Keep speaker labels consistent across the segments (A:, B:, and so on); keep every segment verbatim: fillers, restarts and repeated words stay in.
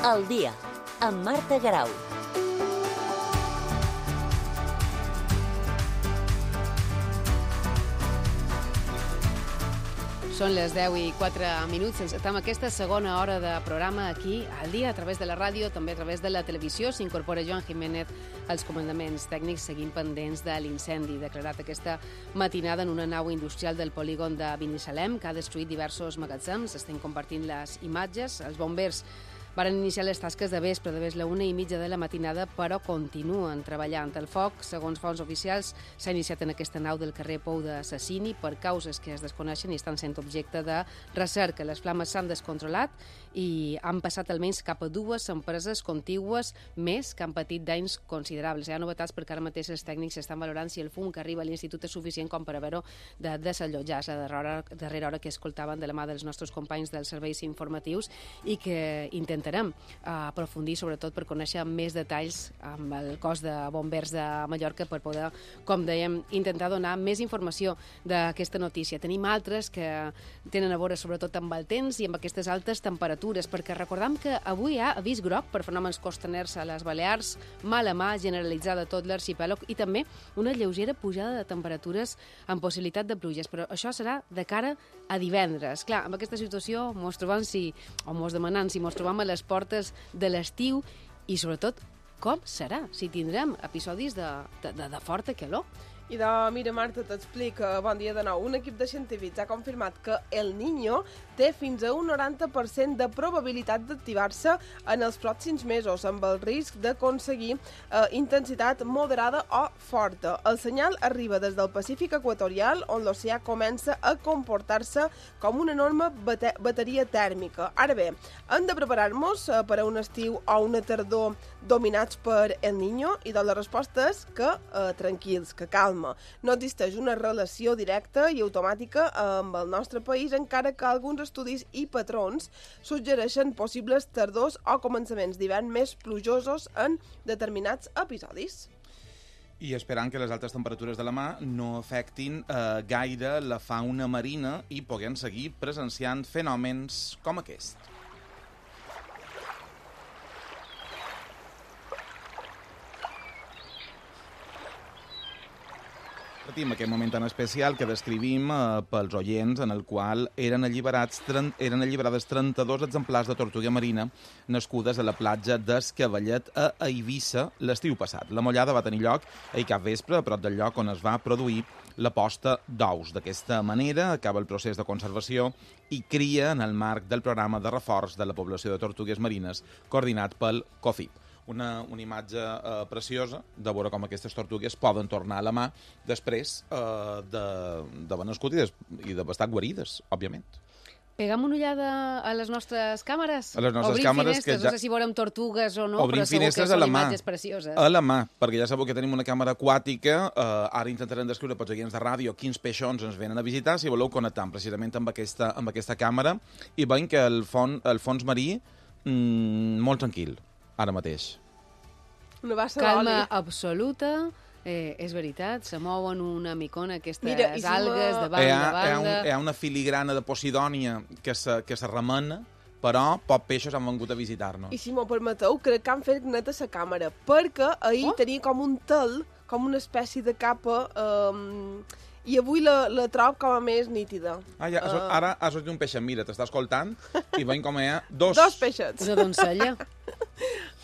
A: Al dia, amb Marta Garau.
B: Són les deu i quatre minuts. Estem en aquesta segona hora de programa aquí, al dia, a través de la ràdio, també a través de la televisió. S'incorpora Joan Jiménez als comandaments tècnics, seguint pendents de l'incendi declarat aquesta matinada en una nau industrial del polígon de Binissalem, que ha destruït diversos magatzems. Estem compartint les imatges. Els bombers varen iniciar les tasques de vespre, de la una i mitja de la matinada, però continuen treballant. El foc, segons fonts oficials, s'ha iniciat en aquesta nau del carrer Pou de Sassini per causes que es desconeixen i estan sent objecte de recerca. Les flames s'han descontrolat i han passat almenys cap a dues empreses contigües més que han patit danys considerables. Hi ha novetats perquè ara mateix els tècnics estan valorant si el fum que arriba a l'institut és suficient com per haver-ho de desallotjar. És la darrera, darrera hora que escoltaven de la mà dels nostres companys dels serveis informatius i que intenten Intentarem aprofundir, sobretot per conèixer més detalls amb el cos de bombers de Mallorca per poder, com dèiem, intentar donar més informació d'aquesta notícia. Tenim altres que tenen a veure sobretot amb el temps i amb aquestes altes temperatures, perquè recordem que avui hi ha avís groc per fenòmens costaners a les Balears, mala mà generalitzada a tot l'arxipèlag i també una lleugera pujada de temperatures amb possibilitat de pluges, però això serà de cara a divendres. Clar, amb aquesta situació mos trobam si, o mos demanem si mos trobam a les portes de l'estiu i, sobretot, com serà, si tindrem episodis de, de, de, de forta calor.
C: I de, mira, Marta, t'explic, bon dia de nou. Un equip de científics ha confirmat que el Niño té fins a un noranta per cent de probabilitat d'activar-se en els pròxims mesos, amb el risc d'aconseguir eh, intensitat moderada o forta. El senyal arriba des del Pacífic equatorial, on l'oceà comença a comportar-se com una enorme bate bateria tèrmica. Ara bé, hem de preparar-nos eh, per a un estiu o una tardor dominats per el Niño, i de la resposta és que eh, tranquils, que calma. No existeix una relació directa i automàtica amb el nostre país, encara que alguns estudis i patrons suggereixen possibles tardors o començaments d'hivern més plujosos en determinats episodis.
D: I esperant que les altes temperatures de la mà no afectin eh, gaire la fauna marina i puguem seguir presenciant fenòmens com aquest. Patim aquest moment tan especial que descrivim eh, pels oients, en el qual eren, alliberats, eren alliberades trenta-dos exemplars de tortuga marina nascudes a la platja d'Escavallet a Eivissa l'estiu passat. La mollada va tenir lloc ahir cap vespre, a prop del lloc on es va produir la posta d'ous. D'aquesta manera acaba el procés de conservació i cria en el marc del programa de reforç de la població de tortugues marines coordinat pel COFIP. Una, una imatge eh, preciosa de veure com aquestes tortugues poden tornar a la mà després eh, d'haver nascut i, des, i d'haver estat guarides, òbviament.
B: Pegam una ullada a les nostres càmeres?
D: A les nostres
B: Obrim
D: càmeres,
B: finestres,
D: que ja...
B: no sé si veurem tortugues o no,
D: Obrim
B: però segur que són imatges precioses.
D: A la mà, perquè ja sabeu que tenim una càmera aquàtica, eh, ara intentarem descriure pels oients de ràdio quins peixons ens venen a visitar, si voleu connectar precisament amb aquesta, amb aquesta càmera, i veiem que el, fons, el fons marí mmm, molt tranquil, ara mateix.
C: Una bassa
B: calma absoluta, eh, és veritat, se mouen una micona aquestes Mira, algues de banda
D: hi ha,
B: a banda.
D: Hi ha, un, hi ha una filigrana de Posidònia que se, que se remena, però pocs peixos han vengut a visitar-nos.
C: I si m'ho permeteu, crec que han fet net a la càmera, perquè ahir oh? tenia com un tel, com una espècie de capa, um, i avui la, la trob com a més nítida.
D: Ah, ja, uh... ara ha sortit un peixet, mira, t'està escoltant, i veiem com hi ha dos...
C: Dos peixets.
B: Una doncella.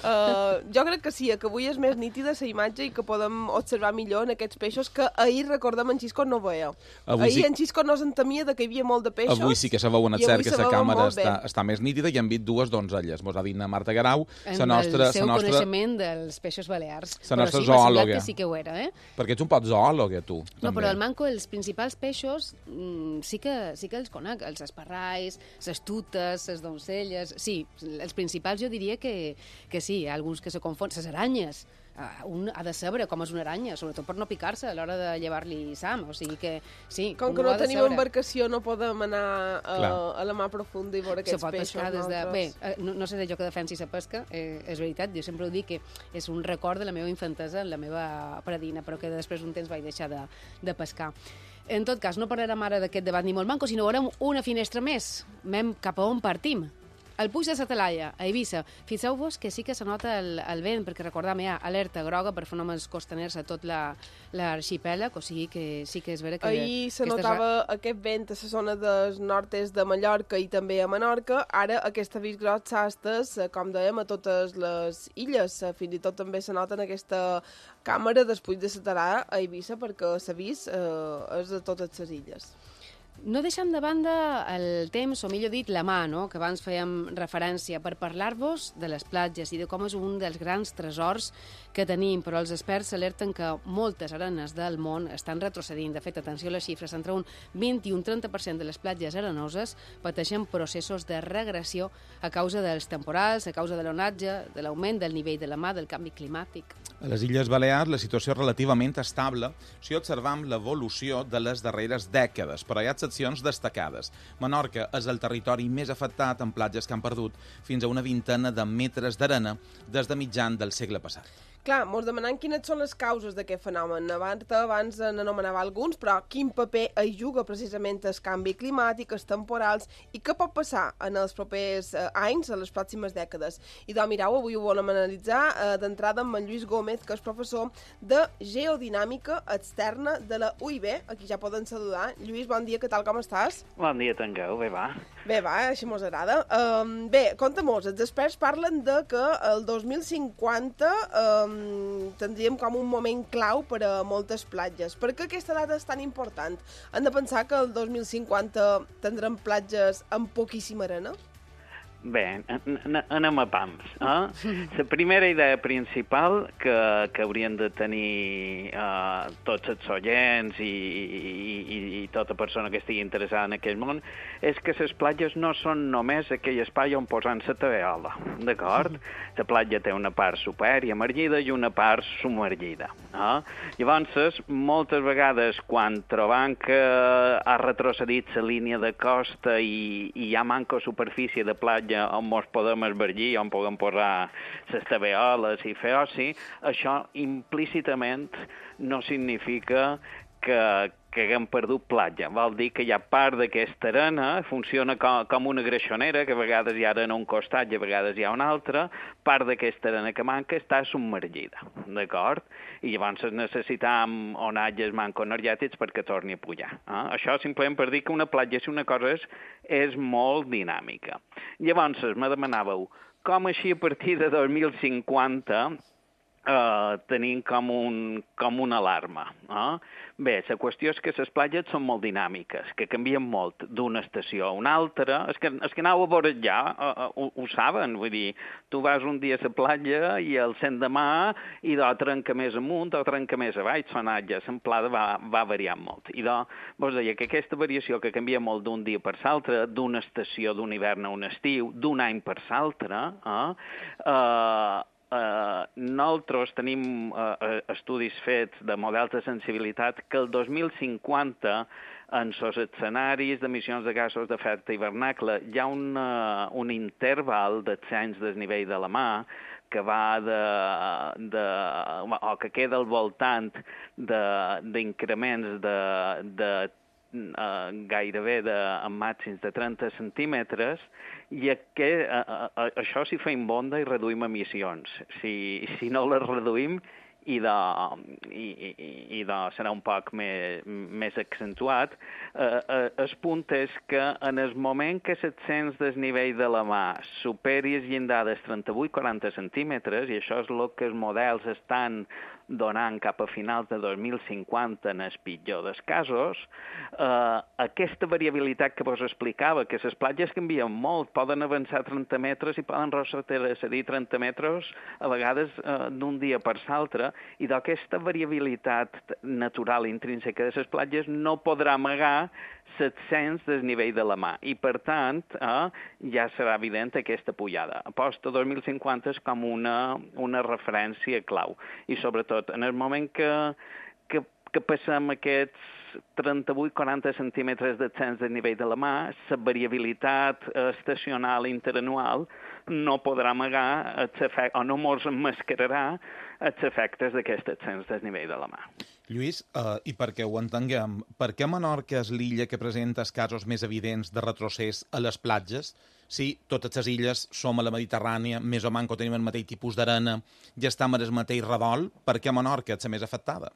C: Uh, jo crec que sí, que avui és més nítida la imatge i que podem observar millor en aquests peixos que ahir, recordem, en Xisco no veia.
D: Avui
C: ahir sí... en Xisco no s'entemia que hi havia molt de peixos.
D: Avui sí que se veu en el cert que la càmera està, està més nítida i hem vist dues donzelles. Mos ha dit Marta Garau,
B: la nostra... el seu nostra... coneixement dels peixos balears.
D: La nostra
B: sí,
D: zoòloga.
B: Que sí que ho era, eh?
D: Perquè ets un pot zoòloga, tu.
B: No, també. Però el manco, els principals peixos mm, sí, que, sí que els conec. Els esparrais, les tutes, les doncelles... Sí, els principals jo diria que, que sí, alguns que se confonen, les aranyes. Uh, un ha de saber com és una aranya, sobretot per no picar-se a l'hora de llevar-li sam, o sigui que sí,
C: com que no tenim embarcació no podem anar uh, a la mà profunda i veure aquests peixos.
B: Des de... Bé, uh, no, no sé jo que defensi la pesca, eh, és veritat, jo sempre ho dic que és un record de la meva infantesa, la meva predina, però que després un temps vaig deixar de, de pescar. En tot cas, no parlarem ara d'aquest debat ni molt manco, sinó veurem una finestra més. Mem cap a on partim? El Puig de la Talaia, a Eivissa. Fixeu-vos que sí que se nota el, el vent, perquè recordam, hi ha alerta groga per fenòmens costaners a tot l'arxipèlag, la, o sigui que sí que és vera que...
C: Ahir se
B: aquestes...
C: notava aquest vent a la zona del nord-est de Mallorca i també a Menorca. Ara aquest avís groc s'ha estès, com dèiem, a totes les illes. Fins i tot també se nota en aquesta càmera del Puig de la Talaia a Eivissa, perquè l'avís eh, és de totes les illes.
B: No deixem de banda el temps, o millor dit, la mà, no?, que abans fèiem referència, per parlar-vos de les platges i de com és un dels grans tresors que tenim, però els experts alerten que moltes arenes del món estan retrocedint. De fet, atenció a les xifres, entre un vint i un trenta per cent de les platges arenoses pateixen processos de regressió a causa dels temporals, a causa de l'onatge, de l'augment del nivell de la mà, del canvi climàtic.
D: A les Illes Balears la situació és relativament estable si observam l'evolució de les darreres dècades, però hi ha excepcions destacades. Menorca és el territori més afectat en platges que han perdut fins a una vintena de metres d'arena des de mitjan del segle passat.
C: Clar, mos demanem quines són les causes d'aquest fenomen. Abans, abans n'anomenava alguns, però quin paper hi juga precisament el canvi climàtic, els temporals, i què pot passar en els propers eh, anys, en les pròximes dècades. I doncs, mireu, avui ho volem analitzar eh, d'entrada amb en Lluís Gómez, que és professor de Geodinàmica Externa de la U I B. Aquí ja poden saludar. Lluís, bon dia, què tal, com estàs?
E: Bon dia, Tangueu, bé va.
C: Bé va, així mos agrada. Um, bé, conta-mos, els experts parlen de que el dos mil cinquanta... Um, tindríem com un moment clau per a moltes platges. Per què aquesta data és tan important? Han de pensar que el dos mil cinquanta tindrem platges amb poquíssima arena?
E: Bé, anem a pams. Eh? La primera idea principal que, que haurien de tenir eh, tots els oients i, i, i tota persona que estigui interessada en aquest món és que les platges no són només aquell espai on posar la taveola, d'acord? La platja té una part superemergida i una part submergida. Eh? Llavors, moltes vegades, quan trobam que ha retrocedit la línia de costa i, i hi ha manca superfície de platja on ens podem esvergir, on podem posar les taveoles i fer oci, això implícitament no significa que, que haguem perdut platja. Vol dir que hi ha part d'aquesta arena, funciona com, com una greixonera, que a vegades hi ha arena a un costat i a vegades hi ha una altra, part d'aquesta arena que manca està submergida, d'acord? I llavors necessitam onatges mancoenergètics perquè torni a pujar. Eh? Això simplement per dir que una platja, si una cosa és, és molt dinàmica. Llavors, me demanàveu, com així a partir de dos mil cinquanta Uh, tenim com, un, com una alarma. Eh? Bé, la qüestió és que les platges són molt dinàmiques, que canvien molt d'una estació a una altra. És que, és que aneu a veure ja, uh, uh, ho, ho saben, vull dir, tu vas un dia a la platja i el cent demà i d'o trenca més amunt o trenca més avall, sonatge, l'amplada va, va variant molt. I d'o, vos deia que aquesta variació que canvia molt d'un dia per l'altre, d'una estació d'un hivern a un estiu, d'un any per l'altre, eh? Uh, Uh, nosaltres tenim uh, estudis fets de models de sensibilitat que el dos mil cinquanta en els escenaris d'emissions de gasos d'efecte hivernacle hi ha un, uh, un interval d'ascens del nivell de la mà que va de, de, o que queda al voltant d'increments de, de Uh, gairebé de, amb màxims de trenta centímetres, i que, uh, uh, això si feim bonda i reduïm emissions. Si, si no les reduïm, i, de, i, i, i de serà un poc més, més accentuat. Uh, uh, el punt és que en el moment que l'ascens del nivell de la mà superi el llindar dels trenta-vuit a quaranta centímetres, i això és el que els models estan donant cap a finals de dos mil cinquanta en el pitjor dels casos, eh, aquesta variabilitat que vos explicava, que les platges canvien molt, poden avançar trenta metres i poden retrocedir trenta metres a vegades eh, d'un dia per l'altre, i d'aquesta variabilitat natural intrínseca de les platges no podrà amagar l'ascens del nivell de la mà, i per tant eh, ja serà evident aquesta pujada. Aposta dos mil cinquanta és com una, una referència clau, i sobretot en el moment que, que, que passem aquests trenta-vuit a quaranta centímetres d'ascens del nivell de la mà, la variabilitat estacional interanual no podrà amagar o no mos emmascararà els efectes d'aquest ascens del nivell de la mà.
D: Lluís, uh, i perquè ho entenguem, per què Menorca és l'illa que presenta els casos més evidents de retrocés a les platges? Si totes les illes som a la Mediterrània, més o manco tenim el mateix tipus d'arena, ja estem al mateix redol, per què Menorca és la més afectada?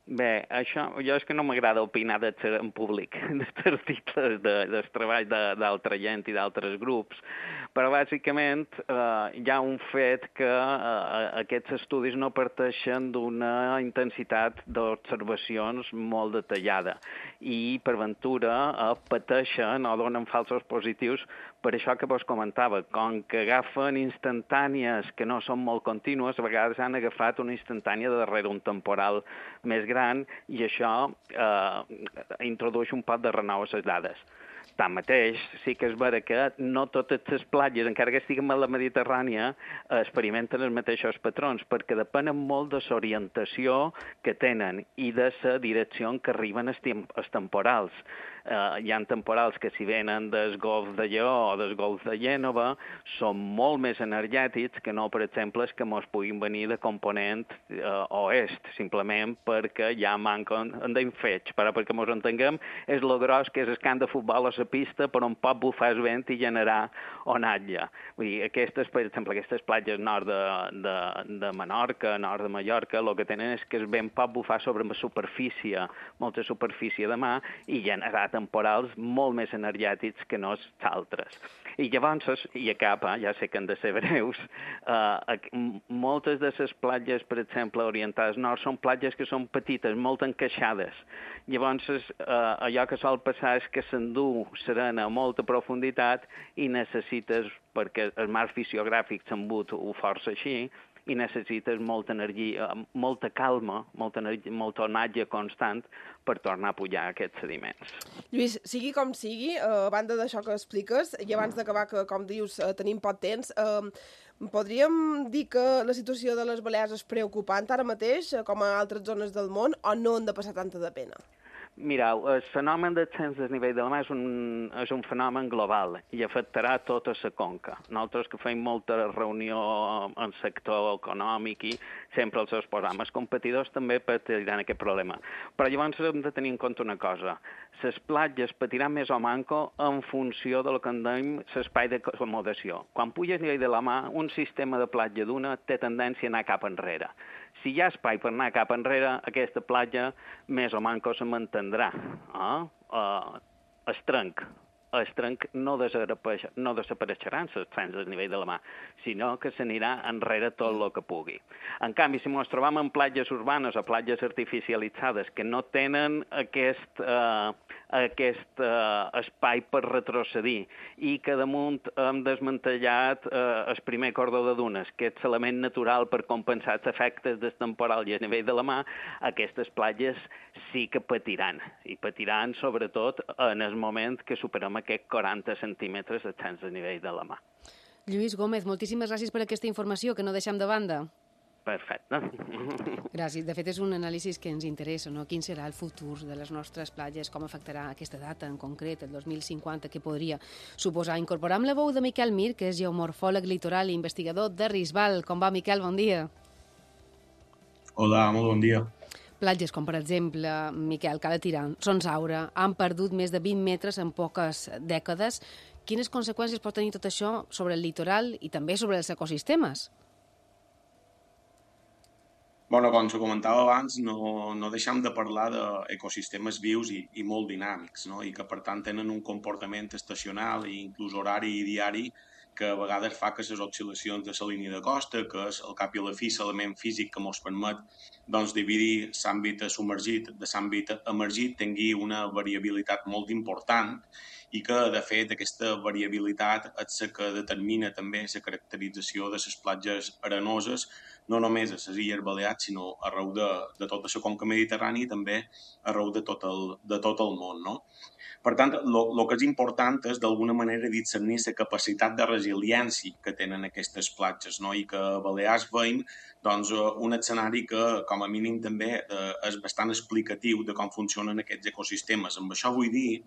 E: Bé, això, jo és que no m'agrada opinar de, en públic dels articles de, dels treballs d'altra gent i d'altres grups, però bàsicament eh, hi ha un fet que eh, aquests estudis no parteixen d'una intensitat d'observacions molt detallada i per ventura eh, pateixen o donen falsos positius per això que vos comentava, com que agafen instantànies que no són molt contínues, a vegades han agafat una instantània de darrere un temporal més gran i això eh, introdueix un pot de renou a les dades. Tanmateix, sí que és vera que no totes les platges, encara que estiguin a la Mediterrània, experimenten els mateixos patrons, perquè depenen molt de l'orientació que tenen i de la direcció en què arriben els temporals. Uh, hi ha temporals que si venen del golf de Lleó o del golf de Gènova són molt més energètics que no, per exemple, que mos puguin venir de component uh, oest, simplement perquè ja manquen d'infeig. Però perquè mos entenguem, és lo gros que és el camp de futbol a la pista per on pot bufar el vent i generar onatge. Vull dir, aquestes, per exemple, aquestes platges nord de, de, de Menorca, nord de Mallorca, el que tenen és que el vent pot bufar sobre una superfície, molta superfície de mar, i generar temporals molt més energètics que no els altres. I llavors, i acaba, ja sé que han de ser breus, eh, moltes de les platges, per exemple, orientades nord, són platges que són petites, molt encaixades. Llavors, eh, allò que sol passar és que s'endú serena a molta profunditat i necessites, perquè el mar fisiogràfic s'embut ho força així, i necessites molta energia, molta calma, molta, energia, molt onatge constant per tornar a pujar aquests sediments.
C: Lluís, sigui com sigui, a banda d'això que expliques, i abans d'acabar, que com dius, tenim poc temps, eh, podríem dir que la situació de les Balears és preocupant ara mateix, com a altres zones del món, o no han de passar tanta de pena?
E: Mireu, el fenomen d'ascens del nivell del mar és un, és un fenomen global i afectarà tota la conca. Nosaltres que fem molta reunió en sector econòmic i sempre els exposam. Els competidors també patiran aquest problema. Però llavors hem de tenir en compte una cosa. Les platges patiran més o manco en funció del que en dèiem l'espai d'acomodació. Quan puja el nivell de la mar, un sistema de platja d'una té tendència a anar cap enrere. Si hi ha espai per anar cap enrere, aquesta platja més o manco se mantindrà. Eh? Uh, es trenc. El trenc no, no desapareixeran els trens del nivell de la mar, sinó que s'anirà enrere tot el que pugui. En canvi, si ens trobam en platges urbanes o platges artificialitzades que no tenen aquest, eh, aquest eh, espai per retrocedir i que damunt hem desmantellat eh, el primer cordó de dunes, que és l'element natural per compensar els efectes del temporal i a nivell de la mar, aquestes platges sí que patiran, i patiran sobretot en el moment que superem aquests quaranta centímetres d'ascens de nivell de la mar.
B: Lluís Gómez, moltíssimes gràcies per aquesta informació, que no deixem de banda.
E: Perfecte.
B: Gràcies. De fet, és un anàlisi que ens interessa, no? Quin serà el futur de les nostres platges, com afectarà aquesta data en concret, el dos mil cinquanta, que podria suposar. Incorporam la veu de Miquel Mir, que és geomorfòleg litoral i investigador de Risbal. Com va, Miquel? Bon dia.
F: Hola, molt bon dia.
B: Platges com, per exemple, Miquel, Cala Tirant, Son Saura, han perdut més de vint metres en poques dècades. Quines conseqüències pot tenir tot això sobre el litoral i també sobre els ecosistemes?
F: Bueno, com se comentava abans, no, no deixem de parlar d'ecosistemes vius i, i molt dinàmics, no? I que, per tant, tenen un comportament estacional i inclús horari i diari que a vegades fa que les oscil·lacions de la línia de costa, que és al cap i a la fi l'element físic que ens permet doncs, dividir l'àmbit submergit de l'àmbit emergit, tingui una variabilitat molt important i que, de fet, aquesta variabilitat és la que determina també la caracterització de les platges arenoses, no només a les Illes Balears, sinó arreu de, de tota la conca mediterrània i també arreu de tot el, de tot el món, no? Per tant, el que és important és, d'alguna manera, discernir la capacitat de resiliència que tenen aquestes platges, no? I que a Balears veiem doncs, un escenari que, com a mínim, també eh, és bastant explicatiu de com funcionen aquests ecosistemes. Amb això vull dir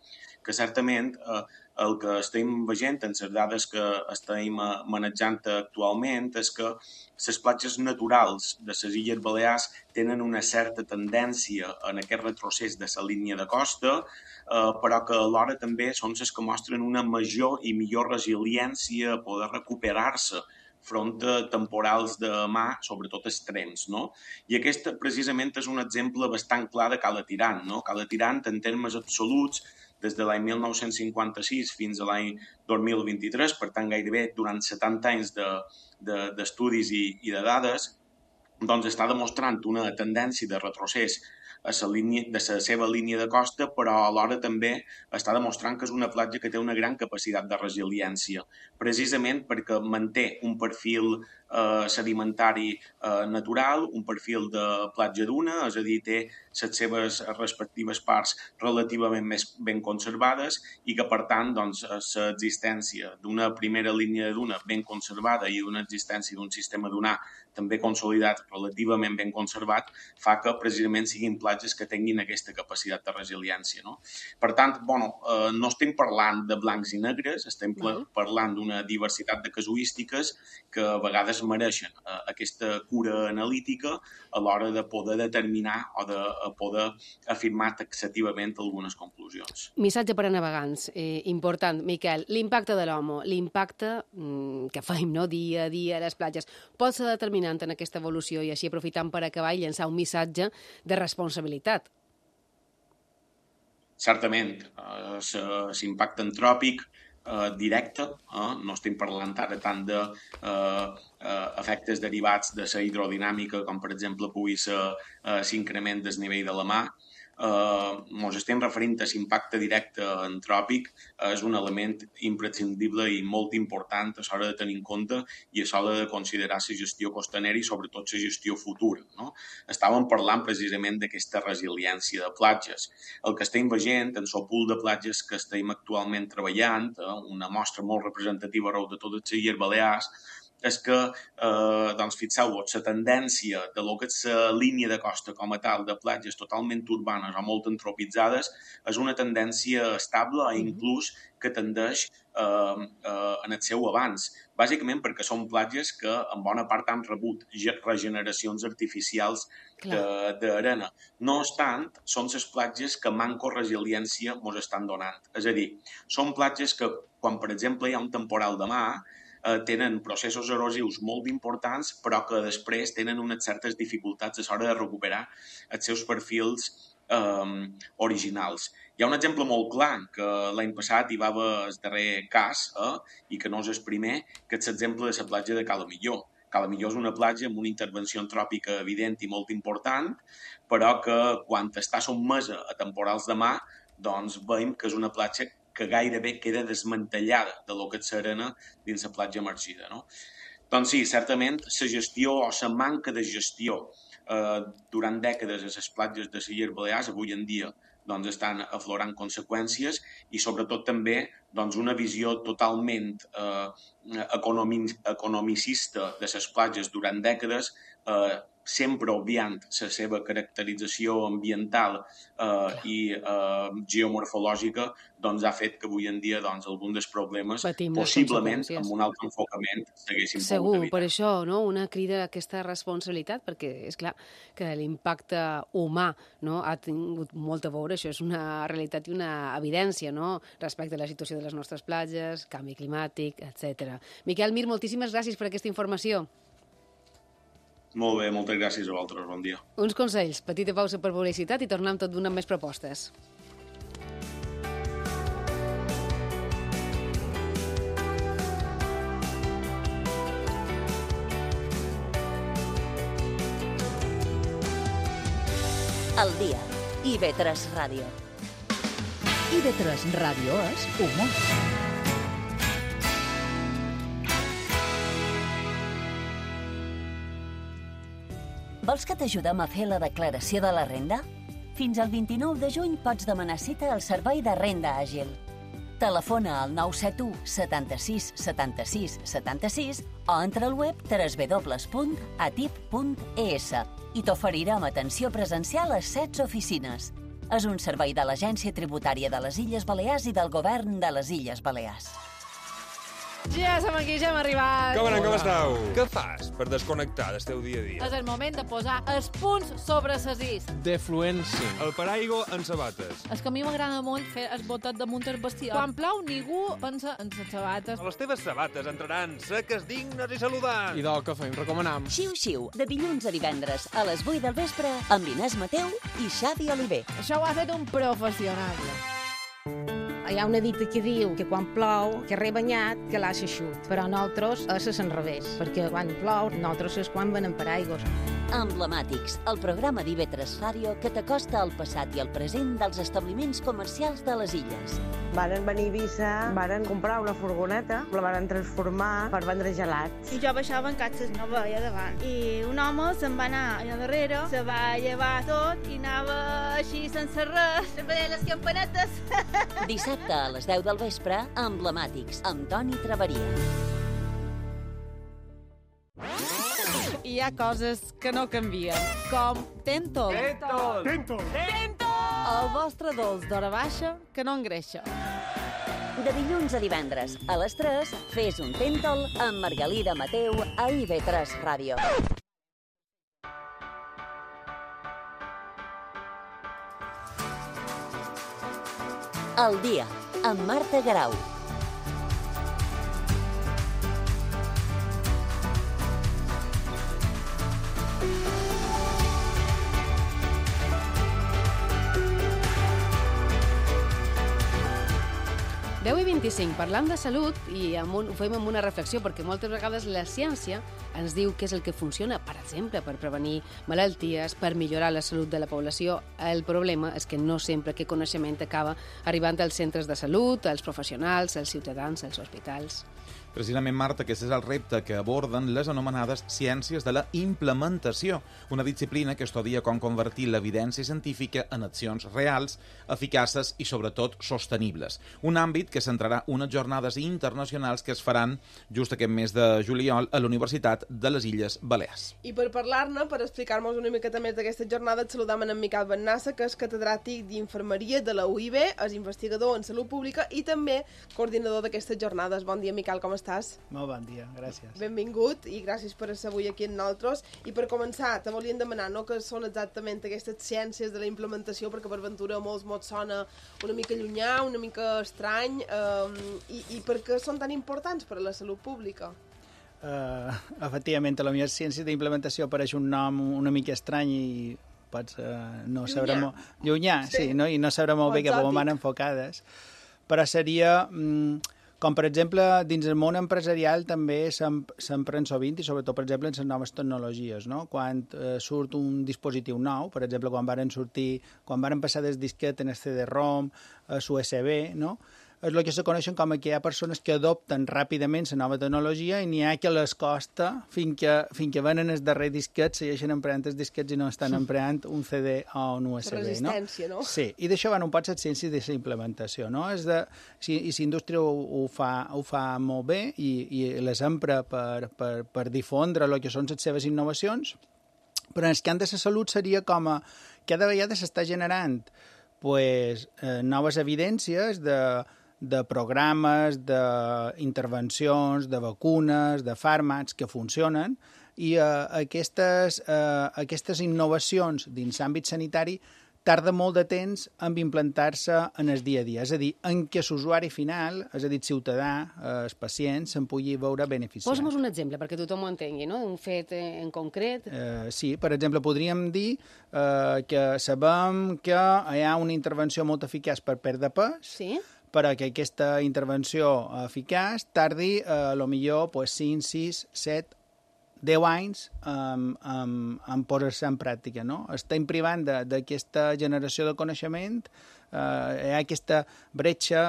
F: que certament eh, el que estem veient en les dades que estem manejant actualment és que les platges naturals de les Illes Balears tenen una certa tendència en aquest retrocés de la línia de costa, eh, però que alhora també són les que mostren una major i millor resiliència a poder recuperar-se front a temporals de mar, sobretot extrems, no? I aquest precisament és un exemple bastant clar de Cala Tirant, no? Cala Tirant, en termes absoluts, des de l'any mil nou-cents cinquanta-sis fins a l'any dos mil vint-i-tres, per tant gairebé durant setanta anys d'estudis de, de, i, i de dades, doncs està demostrant una tendència de retrocés a la línia, de la seva línia de costa, però alhora també està demostrant que és una platja que té una gran capacitat de resiliència, precisament perquè manté un perfil eh, sedimentari eh, natural, un perfil de platja duna, és a dir, té les seves respectives parts relativament més ben conservades i que, per tant, doncs, l'existència d'una primera línia de duna ben conservada i una existència d'un sistema dunar també consolidat, relativament ben conservat, fa que precisament siguin platges que tinguin aquesta capacitat de resiliència, no? Per tant, bueno, eh, no estem parlant de blancs i negres, estem uh-huh. parlant d'una diversitat de casuístiques que a vegades mereixen eh, aquesta cura analítica a l'hora de poder determinar o de poder afirmar taxativament algunes conclusions.
B: Missatge per a navegants, eh, important. Miquel, l'impacte de l'home, l'impacte mm, que fem no, dia a dia a les platges, pot ser determinant en aquesta evolució i així aprofitant per acabar i llançar un missatge de responsabilitat.
F: Certament, eh, l'impacte antròpic eh, directe, eh, no estem parlant ara tant de eh, eh, efectes derivats de la hidrodinàmica, com per exemple pugui ser eh, l'increment del nivell de la mar. Ens uh, estem referint a l'impacte directe antròpic, uh, és un element imprescindible i molt important a l'hora de tenir en compte i a l'hora de considerar la gestió costanera i sobretot la gestió futura, no? Estàvem parlant precisament d'aquesta resiliència de platges. El que estem veient en el pool de platges que estem actualment treballant, uh, una mostra molt representativa arreu de totes les Illes Balears, és que, eh, doncs, fixeu-vos, la tendència de lo que és la línia de costa com a tal de platges totalment urbanes o molt antropitzades és una tendència estable i inclús que tendeix eh, eh, en el seu avanç, bàsicament perquè són platges que en bona part han rebut regeneracions artificials d'arena. No obstant, són les platges que manco resiliència ens estan donant. És a dir, són platges que, quan per exemple hi ha un temporal de mar, eh, tenen processos erosius molt importants, però que després tenen unes certes dificultats a l'hora de recuperar els seus perfils eh, originals. Hi ha un exemple molt clar, que l'any passat hi va haver el darrer cas, eh, i que no és el primer, que és l'exemple de la platja de Cala Millor. Cala Millor és una platja amb una intervenció antròpica evident i molt important, però que quan està sotmesa a temporals de mar, doncs veiem que és una platja que gairebé queda desmantellada de lo que és l'arena dins la platja emergida, no? Doncs sí, certament, la gestió o la manca de gestió eh, durant dècades a les platges de les Illes Balears, avui en dia, doncs estan aflorant conseqüències i sobretot també doncs, una visió totalment eh, economi economicista de les platges durant dècades, eh, sempre obviant la seva caracterització ambiental eh, i eh, geomorfològica, doncs ha fet que avui en dia doncs, alguns dels problemes,
B: Patim
F: possiblement, amb un altre enfocament, s'haguessin pogut
B: Segur,
F: evitar.
B: per això, no? Una crida a aquesta responsabilitat, perquè és clar que l'impacte humà, no? Ha tingut molt a veure, això és una realitat i una evidència, no? Respecte a la situació de les nostres platges, canvi climàtic, etcètera. Miquel Mir, moltíssimes gràcies per aquesta informació.
F: Molt bé, moltes gràcies a vosaltres, bon dia.
B: Uns consells, petita pausa per publicitat i tornem tot d'una amb més propostes.
A: El dia. I ve tres Ràdio.
G: I ve tres Ràdio és humor.
A: Vols que t'ajudem a fer la declaració de la renda? Fins al vint-i-nou de juny pots demanar cita al Servei de Renda Àgil. Telefona al nou set u setanta-sis setanta-sis setanta-sis o entra al web w w w punt atip punt e s i t'oferirem atenció presencial a setze oficines. és un servei de l'Agència Tributària de les Illes Balears i del Govern de les Illes Balears.
B: Ja som aquí, ja hem arribat.
H: Com anem, com esteu? Què fas per desconnectar del teu dia a dia?
I: És el moment de posar els punts sobre les is.
H: Defluència. El paraigua en sabates.
I: És que a mi m'agrada molt fer el botet damunt el bestiar. Quan plou, ningú pensa en les sabates.
H: Les teves sabates entraran seques, dignes i saludants.
J: I del que fem, recomanam.
A: Xiu-xiu, de dilluns a divendres a les vuit del vespre amb Inés Mateu i Xavi Oliver.
I: Això ho ha fet un professional.
K: Hi ha una dita que diu que quan plou, que rebanyat, que l'ha eixut. Però nosaltres és l'enrevés, perquè quan plou, nosaltres és quan venem paraigües.
A: Emblemàtics, el programa d'I V tres Ràdio que t'acosta al passat i al present dels establiments comercials de les illes.
L: Varen venir a Eivissa, varen comprar una furgoneta, la varen transformar per vendre gelats.
M: I jo baixava en catxes, no veia davant. I un home se'n va anar allà darrere, se va llevar tot i anava així sense res, veient les campanetes.
A: Dissabte a les deu del vespre, Emblemàtics, amb Toni Traveria.
I: Hi ha coses que no canvien, com Tentol.
J: Tentol! Tentol!
I: Tentol! El vostre dolç d'hora baixa que no engreixa.
A: De dilluns a divendres, a les tres, fes un Tentol amb Margalida Mateu a I V tres Ràdio. El dia, amb Marta Garau.
B: deu i vint-i-cinc, parlant de salut, i amb un, ho fem amb una reflexió, perquè moltes vegades la ciència ens diu què és el que funciona, per exemple, per prevenir malalties, per millorar la salut de la població. El problema és que no sempre aquest coneixement acaba arribant als centres de salut, als professionals, als ciutadans, als hospitals.
D: Precisament, Marta, aquest és el repte que aborden les anomenades ciències de la implementació, una disciplina que estudia com convertir l'evidència científica en accions reals, eficaces i, sobretot, sostenibles. Un àmbit que centrarà unes jornades internacionals que es faran just aquest mes de juliol a la Universitat de les Illes Balears.
C: I per parlar-ne, per explicar-nos una miqueta més d'aquesta jornada, et saludam en Miquel Bennassa, que és catedràtic d'Infermeria de la U I B, és investigador en salut pública i també coordinador d'aquestes jornades. Bon dia, Miquel, com estàs?
N: Molt bon dia, gràcies.
C: Benvingut i gràcies per estar avui aquí amb nosaltres. I per començar, te volíem demanar no, què són exactament aquestes ciències de la implementació, perquè per ventura molts mots sona una mica llunyà, una mica estrany, eh, i, i per què són tan importants per a la salut pública?
N: Uh, efectivament, a la millor ciència d'implementació apareix un nom una mica estrany i pots uh, no saber molt... Llunyà, sí, sí no? I no saber molt bé que com van enfocades, però seria... Um, Com, per exemple, dins el món empresarial també s'empren sovint, i sobretot, per exemple, en les noves tecnologies, no? Quan eh, surt un dispositiu nou, per exemple, quan varen sortir, quan varen passar des disquet en el C D ROM, a l'U S B, no? És el que se coneixen com que hi ha persones que adopten ràpidament la nova tecnologia i n'hi ha que les costa fins que, fins que venen el darrer disquet, segueixen empreant els disquets i no estan empreant un C D o un U S B, no?
C: Resistència, no?
N: Sí, i d'això van un poc les ciències de la implementació, no? És de, si, i la indústria ho, ho, fa, ho fa molt bé i, i les empra per, per, per difondre el que són les seves innovacions, però en el camp de la salut seria com a cada vegada s'està generant pues, eh, noves evidències de de programes, d'intervencions, de vacunes, de fàrmacs que funcionen i eh, aquestes, eh, aquestes innovacions dins l'àmbit sanitari tarda molt de temps en implantar-se en el dia a dia, és a dir, en què l'usuari final, és a dir, el ciutadà, eh, el pacient, se'n pugui veure beneficiat.
B: Posa'm un exemple perquè tothom ho entengui, no? Un fet en concret.
N: Eh, sí, per exemple, podríem dir eh, que sabem que hi ha una intervenció molt eficaç per perdre pes,
B: sí?
N: però que aquesta intervenció eficaç tardi, eh, a lo millor, pues, cinc, sis, set, deu anys um, um, en posar-se en pràctica, no? Estem privant d'aquesta generació de coneixement, eh, hi ha aquesta bretxa,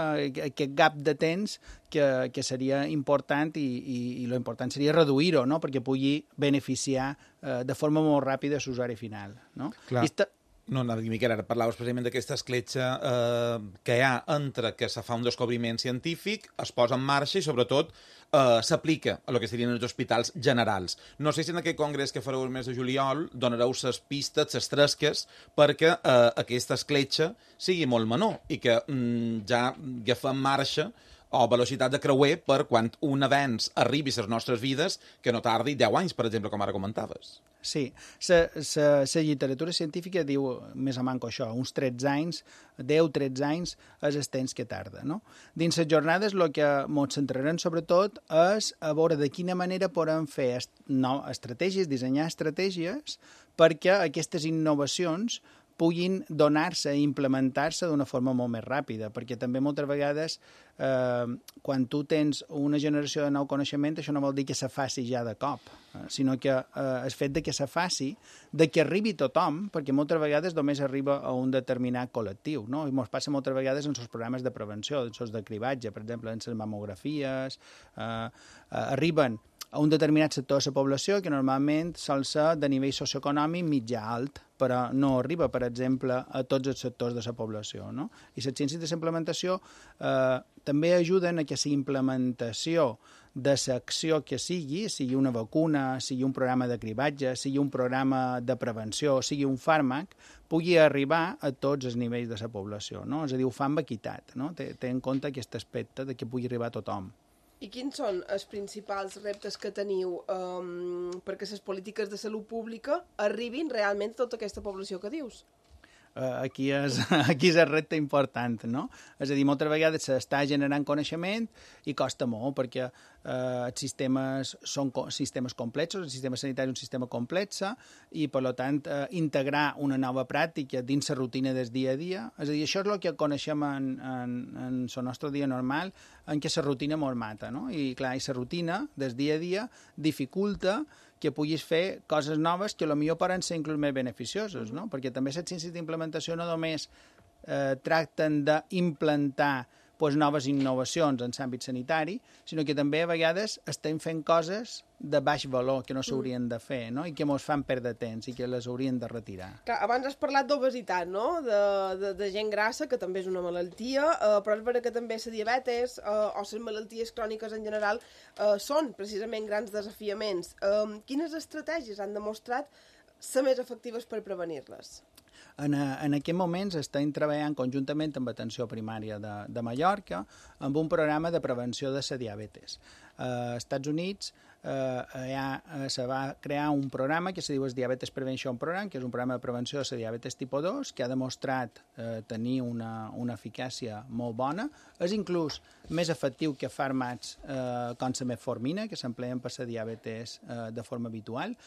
N: aquest gap de temps que, que seria important i, i, i lo important seria reduir-ho, no? Perquè pugui beneficiar eh, de forma molt ràpida l'usuari final, no?
D: Clar.
N: I esta...
D: No, no, Miquel, ara parlaves precisament d'aquesta escletxa eh, que hi ha entre que se fa un descobriment científic, es posa en marxa i, sobretot, eh, s'aplica a el que serien els hospitals generals. No sé si en aquest congrés que fareu el mes de juliol donareu les pistes, les tresques, perquè eh, aquesta escletxa sigui molt menor i que mm, ja agafem marxa o velocitat de creuer per quan un avenç arribi a les nostres vides que no tardi deu anys, per exemple, com ara comentaves.
N: Sí, la literatura científica diu més o manco això, uns tretze anys, deu tretze anys és el temps que tarda, no? Dins les jornades el que ens centrarem sobretot és a veure de quina manera podem fer est no, estratègies, dissenyar estratègies perquè aquestes innovacions puguin donar-se i implementar-se d'una forma molt més ràpida, perquè també moltes vegades eh, quan tu tens una generació de nou coneixement, això no vol dir que se faci ja de cop, eh, sinó que eh, el fet de que se faci, de que arribi tothom, perquè moltes vegades només arriba a un determinat col·lectiu, no? I ens passa moltes vegades en els programes de prevenció, en els de cribatge, per exemple, en les mamografies, eh, eh, arriben a un determinat sector de la població que normalment sol ser de nivell socioeconòmic mitjà alt, però no arriba, per exemple, a tots els sectors de la població, no? I les ciències de la implementació eh, també ajuden a que la implementació de l'acció que sigui, sigui una vacuna, sigui un programa de cribatge, sigui un programa de prevenció, sigui un fàrmac, pugui arribar a tots els nivells de la població, no? És a dir, ho fa amb equitat, no? Té, té en compte aquest aspecte de que pugui arribar a tothom.
C: I quins són els principals reptes que teniu um, perquè les polítiques de salut pública arribin realment a tota aquesta població que dius?
N: Uh, aquí, és, aquí és el repte important, no? És a dir, moltes vegades s'està generant coneixement i costa molt, perquè uh, els sistemes són co sistemes complexos, el sistema sanitari és un sistema complex, i, per tant, uh, integrar una nova pràctica dins la rutina del dia a dia, és a dir, això és el que coneixem en, en, en el nostre dia normal, en què la rutina mos mata, no? I, clar, i la rutina del dia a dia dificulta que puguis fer coses noves que potser poden ser inclús més beneficioses, no? Perquè també les ciències d'implementació no només eh, tracten d'implantar pues, noves innovacions en l'àmbit sanitari, sinó que també a vegades estem fent coses de baix valor que no s'haurien de fer, no? I que ens fan perdre temps i que les haurien de retirar.
C: Clar, abans has parlat d'obesitat, no? De, de, de gent grassa, que també és una malaltia, eh, però és vera que també la diabetes eh, o les malalties cròniques en general eh, són precisament grans desafiaments. Eh, quines estratègies han demostrat ser més efectives per prevenir-les?
N: En, en aquest moments estem treballant conjuntament amb Atenció Primària de, de Mallorca amb un programa de prevenció de la diabetes. Eh, als Estats Units eh, ha, eh, se va crear un programa que se diu el Diabetes Prevention Program, que és un programa de prevenció de la diabetes tipus dos, que ha demostrat eh, tenir una, una eficàcia molt bona. És inclús més efectiu que fàrmacs eh, com la metformina, que s'empleen per la diabetes eh, de forma habitual,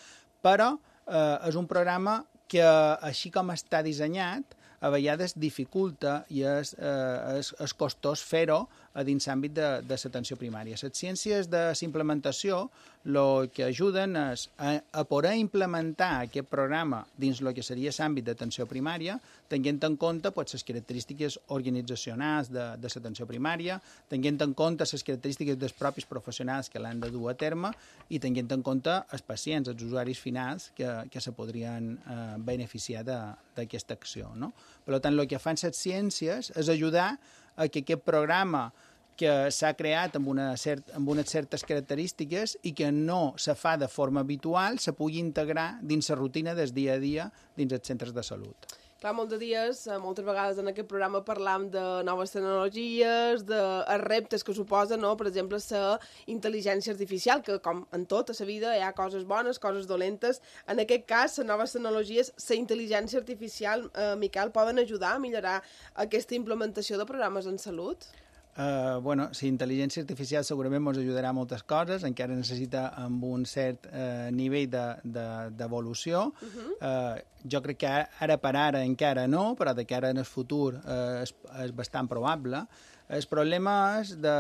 N: però eh, és un programa que, així com està dissenyat, a vegades dificulta i és, eh, és, és costós fer-ho a dins l'àmbit de, de l'atenció primària. Les ciències de la implementació el que ajuden és a, a poder implementar aquest programa dins el que seria l'àmbit d'atenció primària, tenint en compte pues, les característiques organitzacionals de, de l'atenció primària, tenint en compte les característiques dels propis professionals que l'han de dur a terme i tenint en compte els pacients, els usuaris finals que, que se podrien eh, beneficiar d'aquesta acció, no? Per tant, el que fan les ciències és ajudar a que aquest programa que s'ha creat amb, una cert, amb unes certes característiques i que no se fa de forma habitual se pugui integrar dins la rutina del dia a dia dins els centres de salut.
C: Clar, molts dies, moltes vegades en aquest programa parlam de noves tecnologies, de reptes que suposa, no? Per exemple, la intel·ligència artificial, que com en tota la vida hi ha coses bones, coses dolentes. En aquest cas, les noves tecnologies, la intel·ligència artificial, eh, Miquel, poden ajudar a millorar aquesta implementació de programes en salut?
N: Uh, bueno, la intel·ligència artificial segurament ens ajudarà a moltes coses, encara necessita amb un cert uh, nivell d'evolució. De, de, uh-huh. uh, jo crec que ara, ara per ara encara no, però de cara en el futur uh, és, és bastant probable. El problema és de,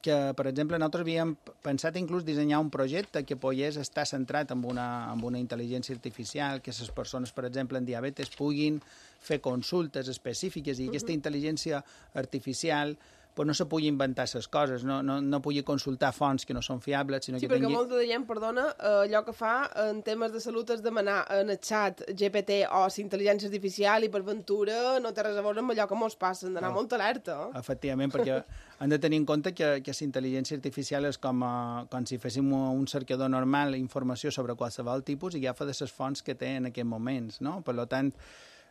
N: que, per exemple, nosaltres havíem pensat inclús dissenyar un projecte que pogués estar centrat en una, en una intel·ligència artificial, que les persones, per exemple, en diabetes puguin fer consultes específiques i uh-huh. aquesta intel·ligència artificial pues no se pugui inventar les coses, no, no, no pugui consultar fonts que no són fiables, sinó
C: sí,
N: que
C: perquè
N: tingui...
C: molta de gent, perdona, allò que fa en temes de salut és demanar en el xat G P T o si intel·ligència artificial i per ventura no té res a veure amb allò que mos passa, hem d'anar oh. molt alerta. Eh?
N: Efectivament, perquè hem de tenir en compte que, que la intel·ligència artificial és com, a, com si féssim un cercador normal informació sobre qualsevol tipus i agafa de les fonts que té en aquests moments, no? Per tant,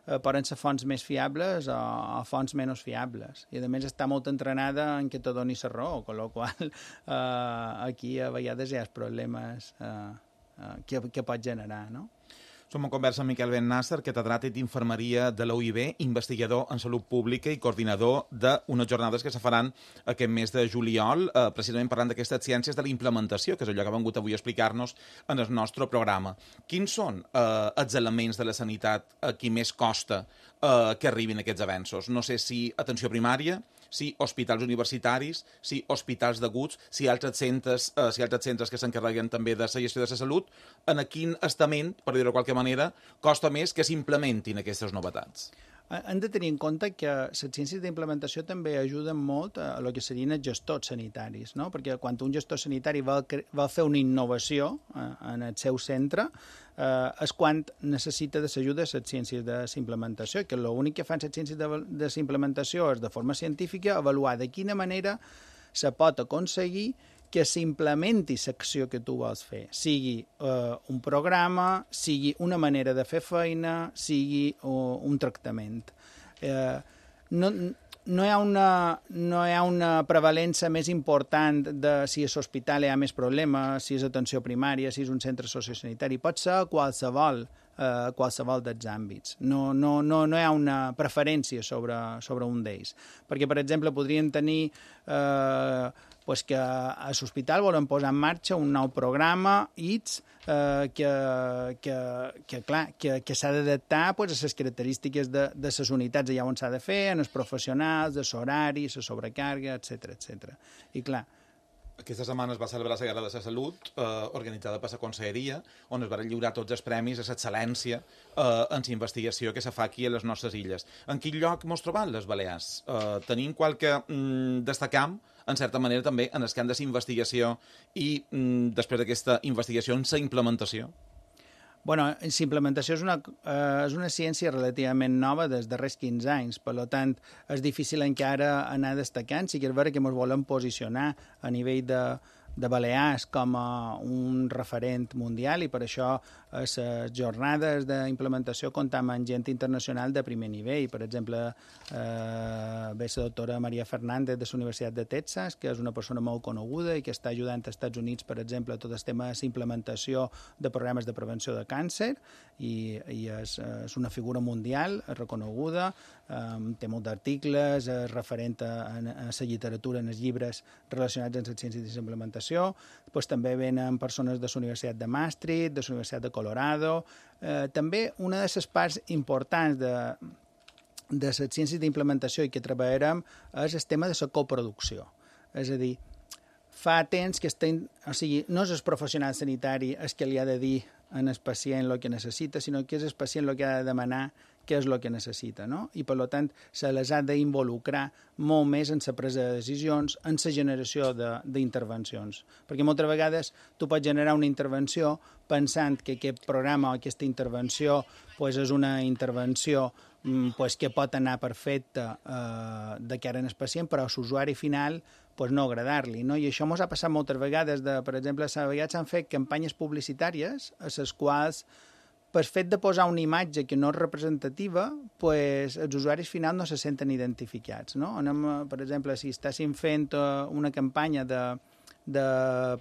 N: eh, poden ser fonts més fiables o, o fonts menys fiables. I, a més, està molt entrenada en què te doni la raó, amb la qual eh, aquí a vegades hi ha problemes eh, eh, que, que pot generar, no?
D: Som en conversa amb Miquel Ben Nasser, catedràtic d'Infermeria de la U I B, investigador en salut pública i coordinador d'unes jornades que se faran aquest mes de juliol, eh, precisament parlant d'aquestes ciències de la implementació, que és allò que ha vingut avui a explicar-nos en el nostre programa. Quins són eh, els elements de la sanitat a qui més costa eh, que arribin aquests avenços? No sé si atenció primària, si hospitals universitaris, si hospitals d'aguts, si altres centres, eh, si altres centres que s'encarreguen també de la gestió de la salut, en quin estament, per dir-ho de qualque manera, costa més que s'implementin aquestes novetats?
N: Hem de tenir en compte que les ciències d'implementació també ajuden molt a el que serien els gestors sanitaris, no? Perquè quan un gestor sanitari vol, vol fer una innovació en el seu centre, eh, és quan necessita de l'ajuda de les ciències de implementació, que l'únic que fan les ciències de, de implementació és de forma científica avaluar de quina manera se pot aconseguir que s'implementi l'acció que tu vols fer, sigui eh, un programa, sigui una manera de fer feina, sigui uh, un tractament. Eh, no, no, hi ha una, no hi ha una prevalença més important de si a l'hospital hi ha més problemes, si és atenció primària, si és un centre sociosanitari. Pot ser qualsevol, eh, qualsevol dels àmbits. No, no, no, no hi ha una preferència sobre, sobre un d'ells. Perquè, per exemple, podrien tenir... Eh, pues que a l'hospital volen posar en marxa un nou programa I T S eh, que, que, que, clar, que, que s'ha d'adaptar pues, a les característiques de, de les unitats allà on s'ha de fer, en els professionals, de l'horari, la sobrecàrrega, etcètera, etcètera. I clar,
D: aquesta setmana es va celebrar la Gala de la Salut, eh, organitzada per la Conselleria, on es van lliurar tots els premis a l'excel·lència eh, en la investigació que se fa aquí a les nostres illes. En quin lloc mos trobam les Balears? Eh, tenim qualque mm, destacam, en certa manera també, en el camp de la investigació i mm, després d'aquesta investigació en la implementació?
N: Bueno, la implementació és una, eh, és una ciència relativament nova dels darrers quinze anys, per tant, és difícil encara anar destacant, sí que és vera que ens volem posicionar a nivell de, de Balears com a un referent mundial i per això a les jornades d'implementació comptam amb gent internacional de primer nivell. Per exemple, eh, ve la doctora Maria Fernández de la Universitat de Texas, que és una persona molt coneguda i que està ajudant als Estats Units, per exemple, a tot el tema de la implementació de programes de prevenció de càncer i, i és, és una figura mundial reconeguda, eh, té molts articles, és referent a, a la literatura, en els llibres relacionats amb les ciències de la implementació. Pues, també venen persones de la Universitat de Maastricht, de la Universitat de Colorado. Eh, també una de les parts importants de, de les ciències d'implementació i que treballarem és el tema de la coproducció. És a dir, fa temps que estem... O sigui, no és el professional sanitari el que li ha de dir al pacient el que necessita, sinó que és el pacient el que ha de demanar què és el que necessita, no? I, per tant, se les ha d'involucrar molt més en la presa de decisions, en la generació d'intervencions. Perquè moltes vegades tu pots generar una intervenció pensant que aquest programa o aquesta intervenció pues, és una intervenció pues, que pot anar perfecta eh, de cara al pacient, però a l'usuari final pues, no agradar-li, no? I això ens ha passat moltes vegades. De, per exemple, a vegades s'han fet campanyes publicitàries a les quals per fet de posar una imatge que no és representativa, pues, els usuaris finals no se senten identificats, no? Anem, per exemple, si estàssim fent una campanya de, de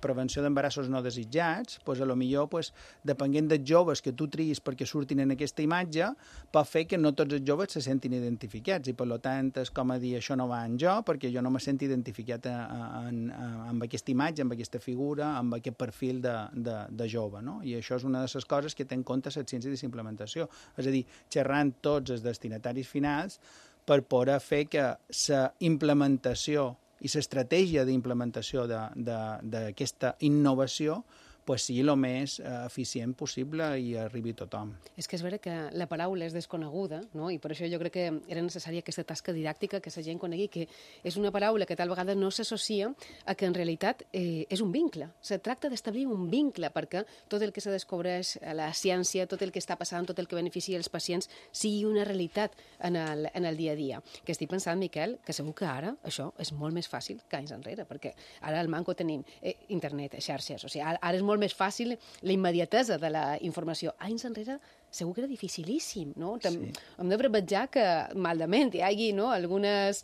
N: prevenció d'embarassos no desitjats, pues, a lo millor, pues, depenent dels joves que tu triïs perquè surtin en aquesta imatge, pot fer que no tots els joves se sentin identificats i, per tant, és com a dir, això no va en jo perquè jo no me sento identificat en, en, amb aquesta imatge, amb aquesta figura, amb aquest perfil de, de, de jove, no? I això és una de les coses que té en compte la ciència de implementació. És a dir, xerrant tots els destinataris finals per poder fer que la implementació i l'estratègia d'implementació d'aquesta innovació pues sigui el més eh, eficient possible i arribi a tothom.
B: És que és vera que la paraula és desconeguda, no? I per això jo crec que era necessària aquesta tasca didàctica, que la gent conegui que és una paraula que tal vegada no s'associa a que en realitat eh, és un vincle. Se tracta d'establir un vincle perquè tot el que se descobreix a la ciència, tot el que està passant, tot el que beneficia els pacients, sigui una realitat en el, en el dia a dia. Que estic pensant, Miquel, que segur que ara això és molt més fàcil que anys enrere, perquè ara al manco tenim eh, internet, xarxes, o sigui, ara, ara és molt més fàcil la immediatesa de la informació. Anys enrere segur que era dificilíssim, no? Sí. Hem de prevetjar que malament hi hagi, no, algunes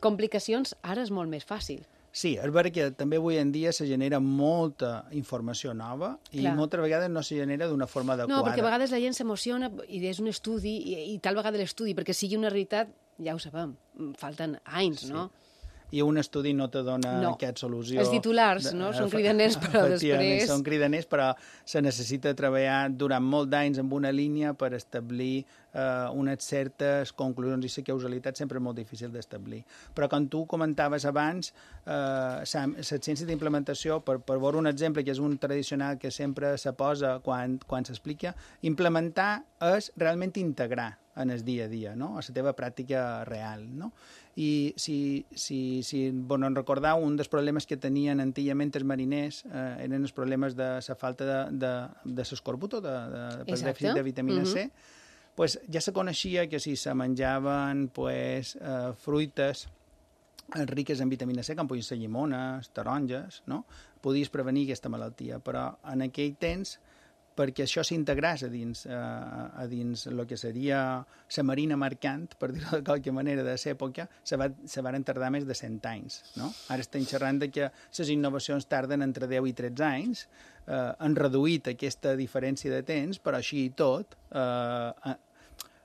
B: complicacions, ara és molt més fàcil.
N: Sí, és vera que també avui en dia se genera molta informació nova i Clar. moltes vegades no se genera d'una forma adequada.
B: No, perquè a vegades la gent s'emociona i és un estudi i, i tal vegada l'estudi, perquè sigui una realitat, ja ho sabem, falten anys, sí. no?
N: I un estudi no te dona
B: no.
N: aquesta solució.
B: Els titulars, no? Són cridaners, però després...
N: Són cridaners, però se necessita treballar durant molt d'anys amb una línia per establir eh, unes certes conclusions, i la causalitat sempre és molt difícil d'establir. Però com tu comentaves abans, eh, la ciència d'implementació, per, per veure un exemple que és un tradicional que sempre se posa quan, quan s'explica, implementar és realment integrar en el dia a dia, no? A la teva pràctica real, no? I si, si, si bueno, recordeu, un dels problemes que tenien antigament els mariners eh, eren els problemes de la falta de, de, de l'escorbuto, de, de, de dèficit de vitamina uh-huh. C, pues ja se coneixia que si se menjaven pues, eh, fruites riques en vitamina C, com podien ser llimones, taronges, no? Podies prevenir aquesta malaltia, però en aquell temps perquè això s'integrés a dins, eh, a dins el que seria la marina mercant, per dir-ho de qualque manera, de l'època, se, va, se van tardar més de cent anys. No? Ara estem xerrant de que les innovacions tarden entre deu i tretze anys, eh, han reduït aquesta diferència de temps, però així i tot, eh,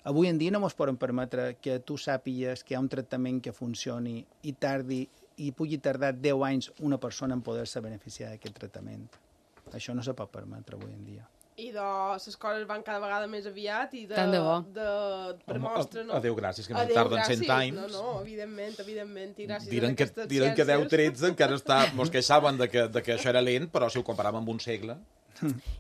N: avui en dia no ens podem permetre que tu sàpigues que hi ha un tractament que funcioni i tardi i pugui tardar deu anys una persona en poder-se beneficiar d'aquest tractament. Això no se pot permetre avui en dia.
C: I de les coses van cada vegada més aviat i de...
B: Tant de bo.
C: De, per mostra, no?
D: Adéu, gràcies, que no tarden cent anys.
C: No, no, evidentment, evidentment, i gràcies
D: diren
C: a aquestes
D: que, diren
C: ciències.
D: que deu tretze encara està... Mos queixaven de que, de que això era lent, però si ho comparàvem amb un segle...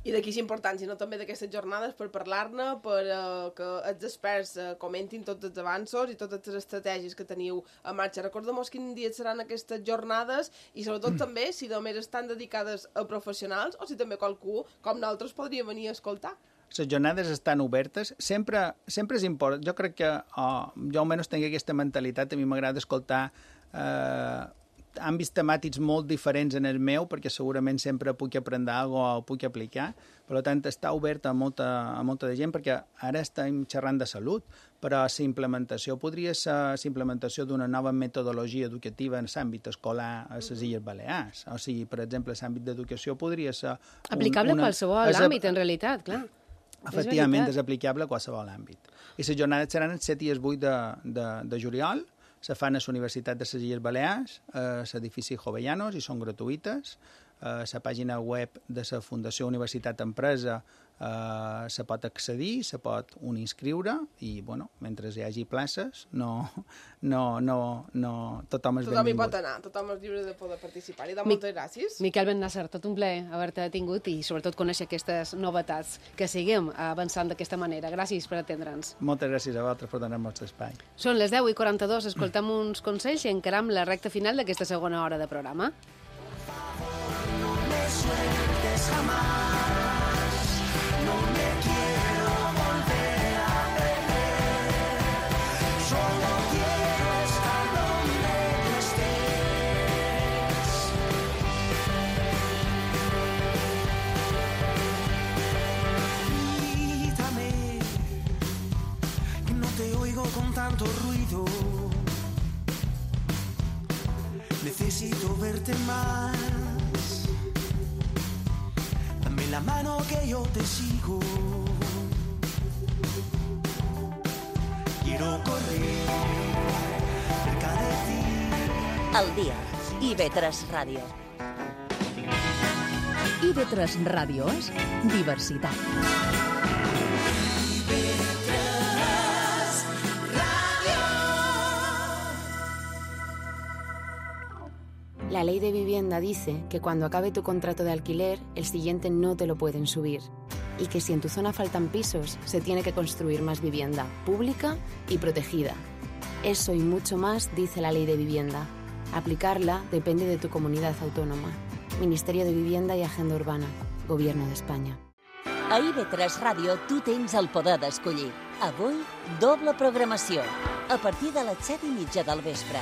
C: I d'aquí és important, sinó també d'aquestes jornades per parlar-ne, per uh, que els experts uh, comentin tots els avanços i totes les estratègies que teniu a marxa. Recordem-nos quin dia seran aquestes jornades i sobretot mm. també si només estan dedicades a professionals o si també qualcú com nosaltres podria venir a escoltar.
N: Les jornades estan obertes. Sempre, sempre és important. Jo crec que oh, jo almenys tinc aquesta mentalitat. A mi m'agrada escoltar eh, àmbits temàtics molt diferents en el meu, perquè segurament sempre puc aprendre alguna cosa o puc aplicar. Per tant, està obert a molta, a molta de gent, perquè ara estem xerrant de salut, però la implementació podria ser la implementació d'una nova metodologia educativa en l'àmbit escolar a les Illes Balears. O sigui, per exemple, l'àmbit d'educació podria ser... Un,
B: aplicable
N: una,
B: a qualsevol és, àmbit, en realitat, clar.
N: Efectivament, és, és aplicable a qualsevol àmbit. I les jornades seran el set i el vuit de, de, de juliol, se fan a la Universitat de les Illes Balears, a l'edifici Jovellanos, i són gratuïtes. A la pàgina web de la Fundació Universitat Empresa eh, se pot accedir, se pot un inscriure, i, bueno, mentre hi hagi places, no, no, no, no, tothom és
C: tothom
N: benvingut.
C: Tothom hi pot anar, tothom és lliure de poder participar. I doncs, moltes gràcies.
B: Miquel Bennàsser, tot un plaer haver-te tingut i sobretot conèixer aquestes novetats, que seguim avançant d'aquesta manera. Gràcies per atendre'ns.
N: Moltes gràcies a vosaltres per donar-nos l'espai.
B: Són les deu i quaranta-dos, escoltem uns consells i encaram la recta final d'aquesta segona hora de programa.
O: Sueltes jamás, no me quiero volver a perder, solo quiero estar donde tú estés. Quítame, que no te oigo con tanto ruido, necesito verte más. La mano que yo te sigo. Quiero correr cerca de ti.
A: Al dia. I ve tres Ràdio.
G: I ve tres Ràdio és diversitat.
P: La ley de vivienda dice que cuando acabe tu contrato de alquiler, el siguiente no te lo pueden subir. Y que si en tu zona faltan pisos, se tiene que construir más vivienda, pública y protegida. Eso y mucho más dice la ley de vivienda. Aplicarla depende de tu comunidad autónoma. Ministerio de Vivienda i Agenda Urbana. Gobierno d'Espanya.
A: A I V tres Ràdio tu tens el poder d'escollir. Avui, doble programació. A partir de les set i mitja del vespre.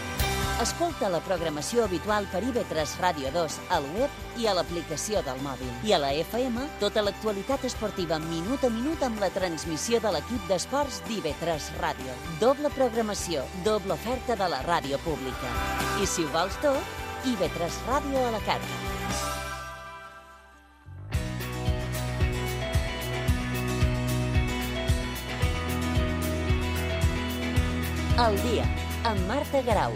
A: Escolta la programació habitual per I V tres Ràdio dos al web i a l'aplicació del mòbil. I a la F M, tota l'actualitat esportiva minut a minut amb la transmissió de l'equip d'esports d'I V tres Ràdio. Doble programació, doble oferta de la ràdio pública. I si ho vols tot, I V tres Ràdio a la carta. El dia, amb Marta Garau.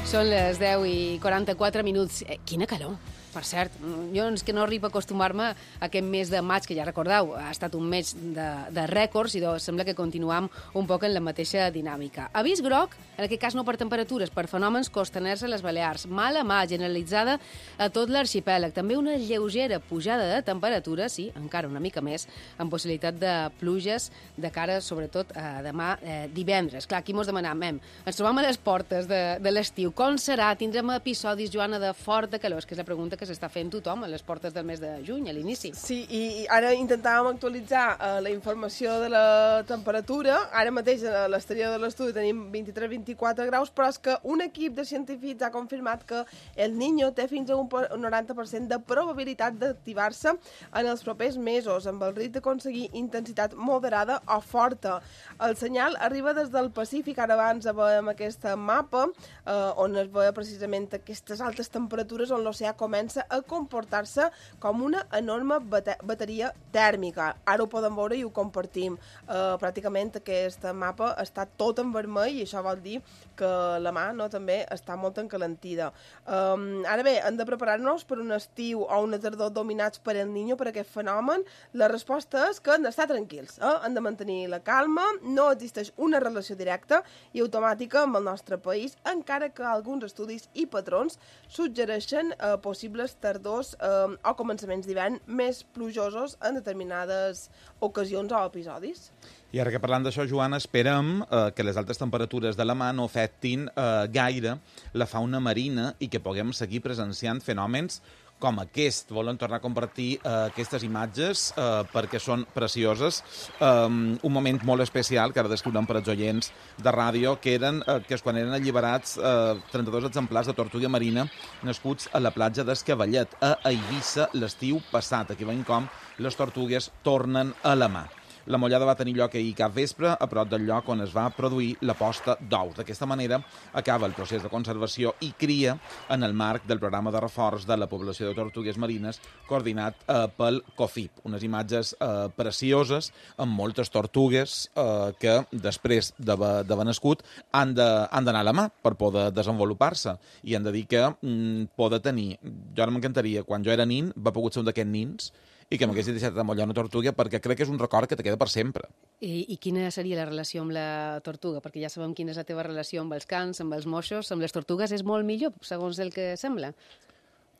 B: Són les deu i quaranta-quatre minuts. Eh, quina calor! Per cert, jo és que no arribo a acostumar-me a aquest mes de maig, que ja recordeu, ha estat un mes de, de rècords i doncs sembla que continuam un poc en la mateixa dinàmica. Avís groc, en aquest cas no per temperatures, per fenòmens costaners a les Balears. Mala mà generalitzada a tot l'arxipèlag. També una lleugera pujada de temperatures, sí, encara una mica més, amb possibilitat de pluges de cara, sobretot, a demà eh, divendres. Clar, aquí mos demanam, em, ens trobam a les portes de, de l'estiu. Com serà? Tindrem episodis, Joana, de fort de calor? És que és la pregunta que s'està fent tothom a les portes del mes de juny, a l'inici.
C: Sí, i ara intentàvem actualitzar uh, la informació de la temperatura. Ara mateix a l'exterior de l'estudi tenim vint-i-tres a vint-i-quatre graus, però és que un equip de científics ha confirmat que el Niño té fins a un noranta per cent de probabilitat d'activar-se en els propers mesos, amb el risc d'aconseguir intensitat moderada o forta. El senyal arriba des del Pacífic. Ara abans veiem aquesta mapa eh, on es veia precisament aquestes altes temperatures on l'oceà comença a comportar-se com una enorme bateria tèrmica. Ara ho podem veure i ho compartim. Uh, pràcticament aquest mapa està tot en vermell i això vol dir que la mà no, també està molt encalentida. Um, ara bé, hem de preparar-nos per un estiu o una tardor dominats per el Niño, per aquest fenomen. La resposta és que hem d'estar tranquils, eh? Hem de mantenir la calma, no existeix una relació directa i automàtica amb el nostre país, encara que alguns estudis i patrons suggereixen eh, possibles tardors eh, o començaments d'hivern més plujosos en determinades ocasions o episodis.
D: I ara que parlant d'això, Joana, esperem eh, que les altes temperatures de la mà no afectin eh, gaire la fauna marina i que puguem seguir presenciant fenòmens com aquest. Volen tornar a compartir eh, aquestes imatges eh, perquè són precioses. Um, un moment molt especial que ara descriurem per als oients de ràdio, que eren eh, que és quan eren alliberats eh, trenta-dos exemplars de tortuga marina nascuts a la platja d'Escavallet, a Eivissa, l'estiu passat. Aquí veiem com les tortugues tornen a la mà. La mollada va tenir lloc ahir cap vespre, a prop del lloc on es va produir la posta d'ous. D'aquesta manera acaba el procés de conservació i cria en el marc del programa de reforç de la població de tortugues marines coordinat eh, pel COFIP. Unes imatges eh, precioses amb moltes tortugues eh, que després d'haver nascut han d'anar a la mà per poder desenvolupar-se. I han de dir que mm, poder tenir... Jo ara m'encantaria, quan jo era nin, va pogut ser un d'aquests nins i que m'haguessin deixat de mollar una tortuga, perquè crec que és un record que te queda per sempre.
B: I, I quina seria la relació amb la tortuga? Perquè ja sabem quina és la teva relació amb els cans, amb els moixos, amb les tortugues és molt millor, segons el que sembla.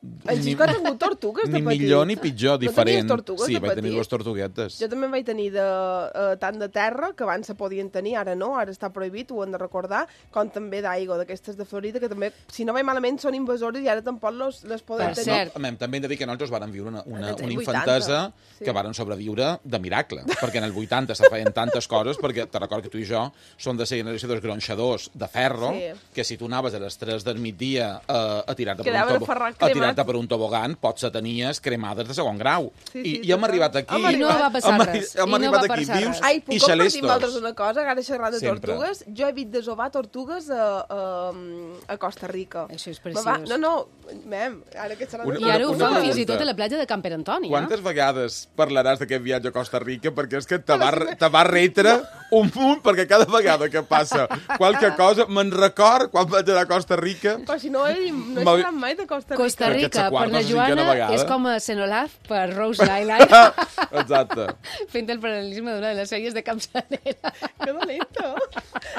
C: En Xisco ha tingut tortugues de
D: petit? Ni millor ni pitjor, diferent.
C: No tortugues
D: sí,
C: de
D: vaig
C: petit?
D: tenir dues tortuguetes.
C: Jo també vaig tenir de, uh, tant de terra, que abans se podien tenir, ara no, ara està prohibit, ho hem de recordar, com també d'aigua, d'aquestes de Florida, que també, si no vaig malament, són invasores i ara tampoc les, les podem
B: per
C: tenir.
B: Cert.
D: No, també hem de dir que nosaltres vàrem viure una, una, una infantesa sí. que varen sobreviure de miracle, perquè en el vuitanta se feien tantes coses, perquè te recordo que tu i jo som de la generació dels gronxadors de ferro, sí. que si tu anaves a les tres del migdia uh, a tirar-te per, un, a tirar saltar per un tobogan, potser tenies cremades de segon grau.
C: Sí,
D: I,
C: sí,
D: i hem arribat aquí...
B: I no va passar
D: hem,
B: res.
D: Hem
B: I
D: arribat
B: no va
D: aquí
B: passar
D: vius
B: res.
C: Ai, puc
D: i
C: compartir
D: xalestos.
C: amb altres una cosa, ara xerrant de
D: Sempre.
C: tortugues? Jo he vist desovar tortugues a, a, a Costa Rica.
B: Això és
C: Me
B: preciós.
C: Va, no, no, mem, ara que xerrant
D: Una-
B: I ara ho
D: una
B: fan
D: pregunta.
B: fins i tot a la platja de Camper Antoni.
D: Quantes vegades parlaràs d'aquest viatge a Costa Rica? Perquè és que te va, te va retre un munt, perquè cada vegada que passa qualque cosa, me'n record quan vaig anar a Costa Rica...
C: Però si no he, no he
D: M'ha-
C: xerrat mai de Costa Rica.
B: Costa Rica,
D: Aquesta
B: per
D: quarta
B: la
D: o cinquena
B: Joana,
D: vegada.
B: és com a Senolaz per Rose Island,
D: Exacte.
B: fent el paral·lelisme d'una de les sèries de Capçalera.
C: Que dolento.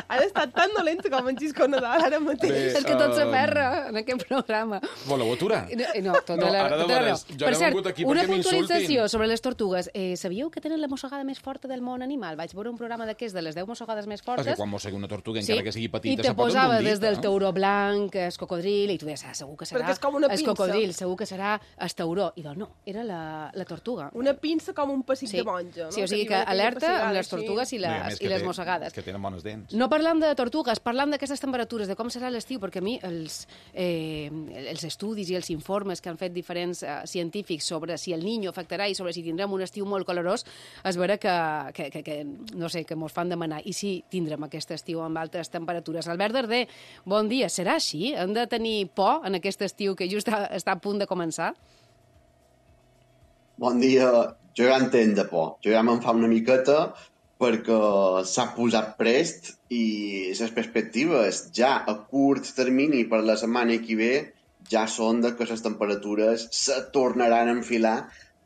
C: Ara està tan dolento com en Xisco Nadal ara mateix.
D: Bé,
B: És que tot
D: um,
B: s'aferra en aquest programa.
D: Voleu aturar?
B: No, no, tota
D: No,
B: la,
D: ara de
B: tota la
D: veres,
B: raó.
D: jo
B: Per
D: no he
B: cert,
D: vingut aquí
B: una
D: perquè
B: puntualització
D: m'insultin.
B: sobre les tortugues. Eh, sabíeu que tenen la mossegada més forta del món animal? Vaig veure un programa d'aquests de les deu mossegades més
D: És
B: fortes.
D: que quan mossegui una tortuga,
B: Sí,
D: encara que sigui
B: i
D: petita,
B: te
D: se pot
B: posava
D: endur un
B: des
D: dit,
B: del
D: eh?
B: tauró blanc, el cocodril, i tu deies, ah, segur que serà
C: Perquè és com una
B: el
C: pinça.
B: cocodril, segur que serà el tauró. I doncs no, era la, la tortuga.
C: Una pinça com un pessic
B: Sí.
C: de monja, no?
B: Sí, o sigui que
C: diuen aquella
B: alerta
C: pessigada
B: amb les
C: així.
B: tortugues i
D: Bé, a
B: les,
D: més
B: i
D: que
B: les
D: té-
B: mossegades.
D: Que tenen bones dents.
B: No parlam de tortugues, parlam d'aquestes temperatures, de com serà l'estiu, perquè a mi els, eh, els estudis i els informes que han fet diferents eh, científics sobre si el Niño afectarà i sobre si tindrem un estiu molt calorós, es veurà que, que, que, que no sé, que mos fan demanar. I si tindrem aquest estiu amb altes temperatures. Albert Darder, bon dia. Serà així? Hem de tenir por en aquest estiu que just està, està a punt de començar?
Q: Bon dia. Jo ja entenc de por. Jo ja me'n fa una miqueta perquè s'ha posat prest i les perspectives ja a curt termini per la setmana que ve ja són de que les temperatures se tornaran a enfilar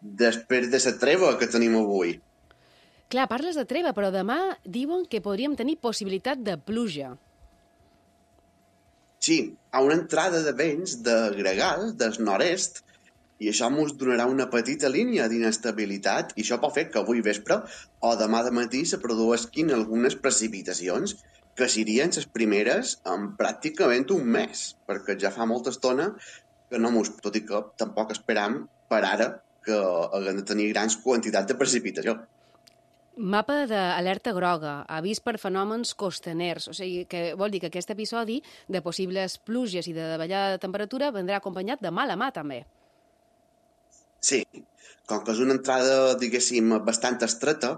Q: després de la treva que tenim avui.
B: Clar, parles de treva, però demà diuen que podríem tenir possibilitat de pluja.
Q: Sí, a una entrada de vents de gregal, del nord-est, i això ens donarà una petita línia d'inestabilitat i això pot fer que avui vespre o demà de matí se produeixin algunes precipitacions que serien les primeres en pràcticament un mes, perquè ja fa molta estona que no mos, tot i que tampoc esperam per ara que haguem de tenir grans quantitats de precipitació.
B: Mapa d'alerta groga, avís per fenòmens costaners, o sigui que vol dir que aquest episodi de possibles pluges i de davallada de temperatura vendrà acompanyat de mala mà també.
Q: Sí, com que és una entrada, diguéssim, bastant estreta,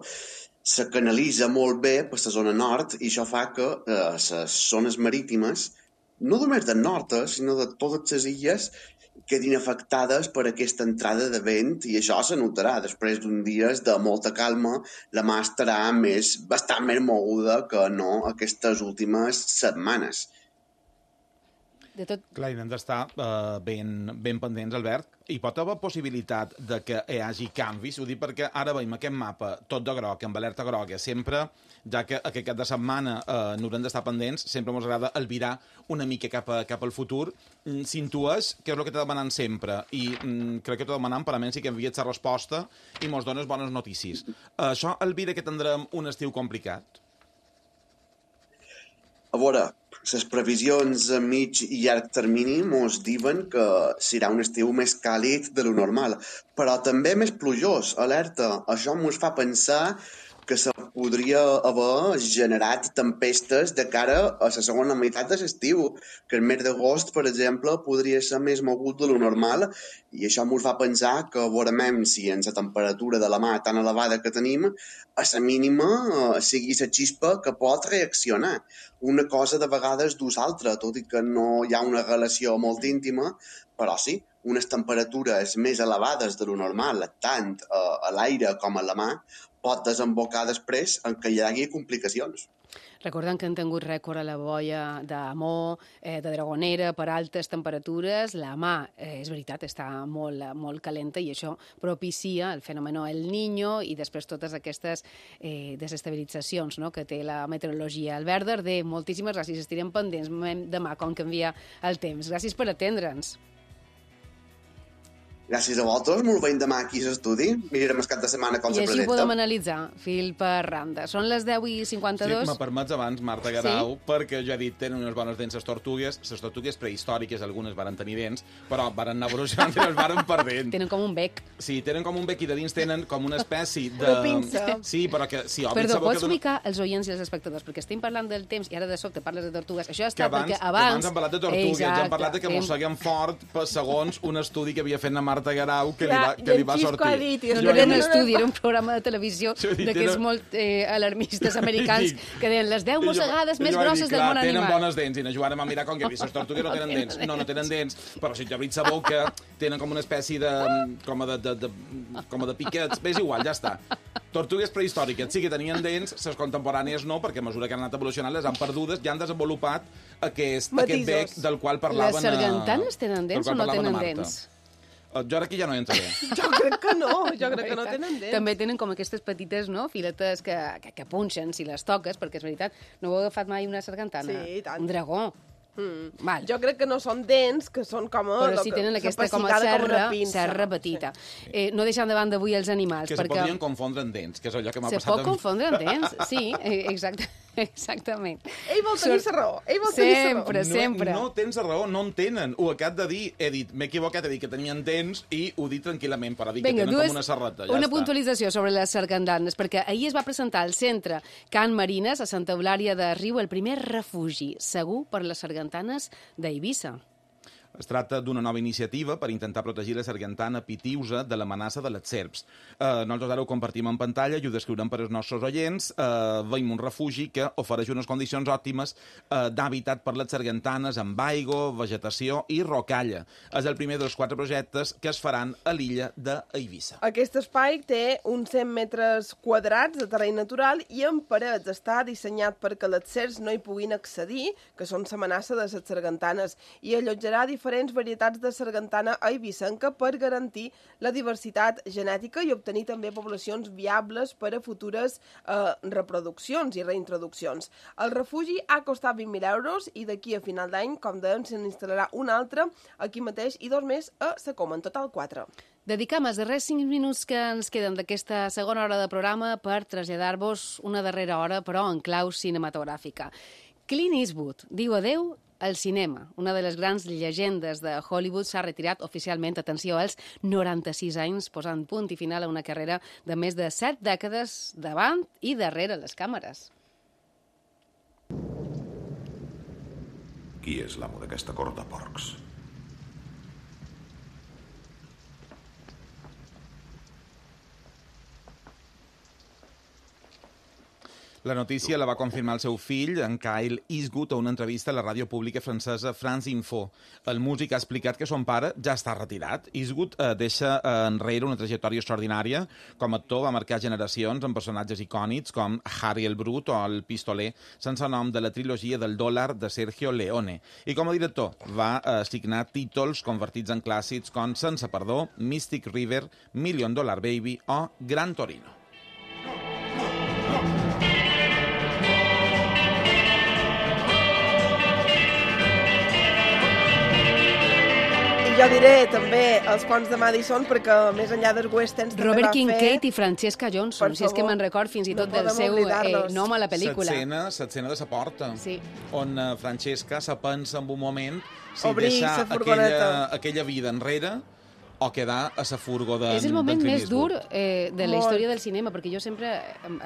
Q: se canalitza molt bé per la zona nord i això fa que eh, les zones marítimes, no només del nord, eh, sinó de totes les illes, quedin afectades per aquesta entrada de vent i això se notarà. Després d'un dies de molta calma, la mà estarà més, bastant més moguda que no aquestes últimes setmanes.
B: De tot...
D: Clar, hem d'estar uh, ben, ben pendents, Albert. Hi pot haver possibilitat de que hi hagi canvis? Ho dic perquè ara veiem aquest mapa tot de groc, amb alerta groga, sempre, ja que aquest cap de setmana uh, n'haurem d'estar pendents, sempre ens agrada albirar una mica cap, a, cap al futur. Mm, S'intues que és el que t'he demanant sempre, i mm, crec que t'he demanant per almenys sí que envies la resposta i mos dones bones notícies. Uh, això albira que tindrem un estiu complicat?
Q: A veure, les previsions a mig i llarg termini mos diuen que serà un estiu més càlid de lo normal, però també més plujós, alerta. Això mos fa pensar que se podria haver generat tempestes de cara a la segona meitat de l'estiu, que el mes d'agost, per exemple, podria ser més mogut de lo normal, i això ens fa pensar que veurem si en la temperatura de la mà tan elevada que tenim, a la mínima eh, sigui la xispa que pot reaccionar. Una cosa de vegades dus altra, tot i que no hi ha una relació molt íntima, però sí, unes temperatures més elevades de lo normal, tant eh, a l'aire com a la mà, pot desembocar després en què hi hagi complicacions.
B: Recordem que han tingut rècord a la boia d'Amor, eh, de Dragonera, per altes temperatures. La mà, eh, és veritat, està molt, molt calenta i això propicia el fenomen El Niño i després totes aquestes eh, desestabilitzacions, no?, que té la meteorologia. Albert Darder, moltíssimes gràcies. Estirem pendents demà com canvia el temps. Gràcies per atendre'ns.
Q: Gràcies a vosaltres, molt veiem demà aquí a l'estudi. Mirarem el cap de setmana com
B: I
Q: se
B: així
Q: presenta.
B: ho podem analitzar, fil per randa. Són les deu i cinquanta-dos.
D: Sí, me permets abans, Marta Garau, sí? perquè jo he dit, tenen unes bones dents les tortugues, les tortugues prehistòriques, algunes varen tenir dents, però varen anar evolucionant i les varen perdent.
B: Tenen com un bec.
D: Sí, tenen com un bec i de dins tenen com una espècie de...
C: Una pinça.
D: Sí, però que... Si
B: Perdó, pots dona... ubicar els oients i els espectadors, perquè estem parlant del temps i ara de sobte parles de tortugues. Això està
D: abans,
B: perquè abans...
D: abans hem parlat de tortugues,
B: Exacte.
D: hem parlat de que mosseguem fort per segons un estudi que havia fet la Marta Garau que,
C: Clar,
D: li va, que li va sortir.
C: Dit,
B: no, no era un estudi, era un programa de televisió d'aquests molt eh, alarmistes americans que deien les deu mossegades més grosses del món animal.
D: Tenen bones dents i ens ajudàrem a mirar com que les tortugues no tenen dents. No, no tenen dents, però si t'obris la boca tenen com una espècie de... com a de, de, de, com a de piquets. Bé, és igual, ja està. Tortugues prehistòriques sí que tenien dents, les contemporànies no, perquè a mesura que han anat evolucionant les han perdudes i han desenvolupat aquest, aquest bec del qual parlaven...
B: Les sargantanes tenen dents o no tenen dents?
D: Jo ara aquí ja no entraré.
C: Jo crec que no, jo crec que no tenen dents.
B: També tenen com aquestes petites, no?, filetes que, que, que punxen si les toques, perquè és veritat, no heu agafat mai una sargantana?
C: Sí, i tant.
B: Un dragó.
C: Mm.
B: Val.
C: Jo crec que no són dents, que són com a...
B: Però sí tenen aquesta com a serra, serra petita. Sí. Eh, no deixant de banda avui els animals.
D: Que
B: perquè...
D: se podrien confondre en dents, que és allò que m'ha passat...
B: Se pot confondre en dents, sí, exacte. Exactament.
C: Ell vol tenir la raó. Ell vol tenir la raó.
B: Sempre, sempre.
D: No, no tens raó, no en tenen. Ho acab de dir, he dit, m'he equivocat, he dit que tenien dents i ho dit tranquil·lament, però dic
B: Vinga,
D: que tenen
B: dues,
D: com una serrata. Ja
B: una
D: està.
B: puntualització sobre les sargantanes, perquè ahir es va presentar al centre Can Marines, a Santa Eulària de Riu, el primer refugi segur per les sargantanes d'Eivissa.
D: Es tracta d'una nova iniciativa per intentar protegir la sargantana pitiusa de l'amenaça de les serps. Eh, nosaltres ara ho compartim en pantalla i ho descriurem per als nostres oients. Eh, veiem un refugi que ofereix unes condicions òptimes eh, d'hàbitat per les sargantanes amb aigua, vegetació i rocalla. És el primer dels quatre projectes que es faran a l'illa d'Eivissa.
C: Aquest espai té uns cent metres quadrats de terreny natural i en parets està dissenyat perquè les serps no hi puguin accedir, que són l'amenaça de les sargantanes, i allotjarà diferents diferents varietats de sargantana eivissenca per garantir la diversitat genètica i obtenir també poblacions viables per a futures eh, reproduccions i reintroduccions. El refugi ha costat vint mil euros i d'aquí a final d'any, com dèiem, se n'instal·larà un altre aquí mateix i dos més a la Coma, en total quatre.
B: Dedicam els darrers cinc minuts que ens queden d'aquesta segona hora de programa per traslladar-vos una darrera hora, però en clau cinematogràfica. Clint Eastwood diu adeu al cinema. Una de les grans llegendes de Hollywood s'ha retirat oficialment, atenció, als noranta-sis anys, posant punt i final a una carrera de més de set dècades davant i darrere les càmeres.
R: Qui és l'amo d'aquesta cort de porcs?
D: La notícia la va confirmar el seu fill, en Kyle Eastwood, a una entrevista a la ràdio pública francesa France Info. El músic ha explicat que son pare ja està retirat. Eastwood eh, deixa eh, enrere una trajectòria extraordinària. Com a actor va marcar generacions amb personatges icònics com Harry el Brut o el Pistoler, sense nom de la trilogia del dòlar de Sergio Leone. I com a director va eh, signar títols convertits en clàssics com Sense perdó, Mystic River, Million Dollar Baby o Gran Torino.
C: Jo diré també els ponts de Madison, perquè més enllà dels westerns també
B: Robert
C: va
B: Kincaid
C: fer...
B: i Francesca Johnson, si és que me'n record fins i tot
C: no
B: del seu eh, nom a la pel·lícula.
D: L'escena, l'escena de la porta,
B: sí.
D: on uh, Francesca se pensa en un moment si
C: Obrir
D: deixar aquella, aquella vida enrere o quedar a la furgo d'en
B: És el moment més dur eh, de la
C: Molt.
B: història del cinema, perquè jo sempre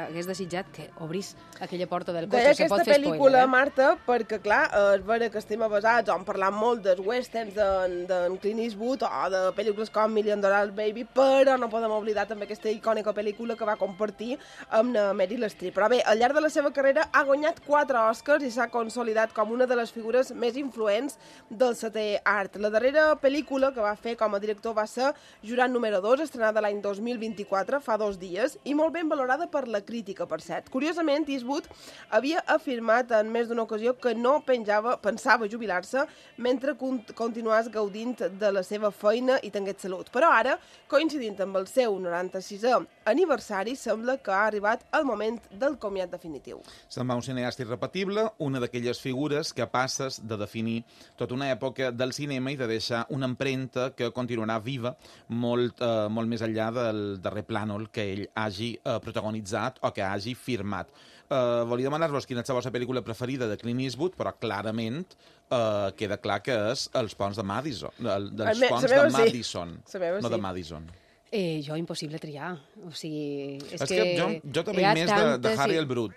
B: hagués desitjat que obrís aquella porta del cotxe.
C: Deia
B: Se pot
C: aquesta
B: fer
C: pel·lícula,
B: spoiler, eh?
C: Marta, perquè, clar, és vera que estem basats, on parlant molt dels westerns d'en de, Clint Eastwood o de pel·lícules com Million Dollar Baby, però no podem oblidar també aquesta icònica pel·lícula que va compartir amb Meryl Streep. Però bé, al llarg de la seva carrera ha guanyat quatre Oscars i s'ha consolidat com una de les figures més influents del setè art. La darrera pel·lícula que va fer com a director va ser Jurant número dos, estrenada l'any dos mil vint-i-quatre, fa dos dies, i molt ben valorada per la crítica, per cert. Curiosament, Eastwood havia afirmat en més d'una ocasió que no penjava, pensava jubilar-se mentre continués gaudint de la seva feina i tingués salut. Però ara, coincidint amb el seu noranta-sisè aniversari sembla que ha arribat el moment del comiat definitiu.
D: Se'n va un cineasta irrepetible, una d'aquelles figures que passes de definir tota una època del cinema i de deixar una empremta que continuarà viva molt, eh, molt més enllà del darrer plànol que ell hagi eh, protagonitzat o que hagi firmat. Uh, volia demanar-vos quina és la vostra pel·lícula preferida de Clint Eastwood, però clarament uh, queda clar que és Els ponts de Madison, el, dels
C: me,
D: ponts de Madison,
C: sí.
D: no
C: sí.
D: de Madison.
B: Eh, jo, impossible triar. O sigui, és,
D: és
B: que,
D: que jo, jo també més de, de Harry el Brut.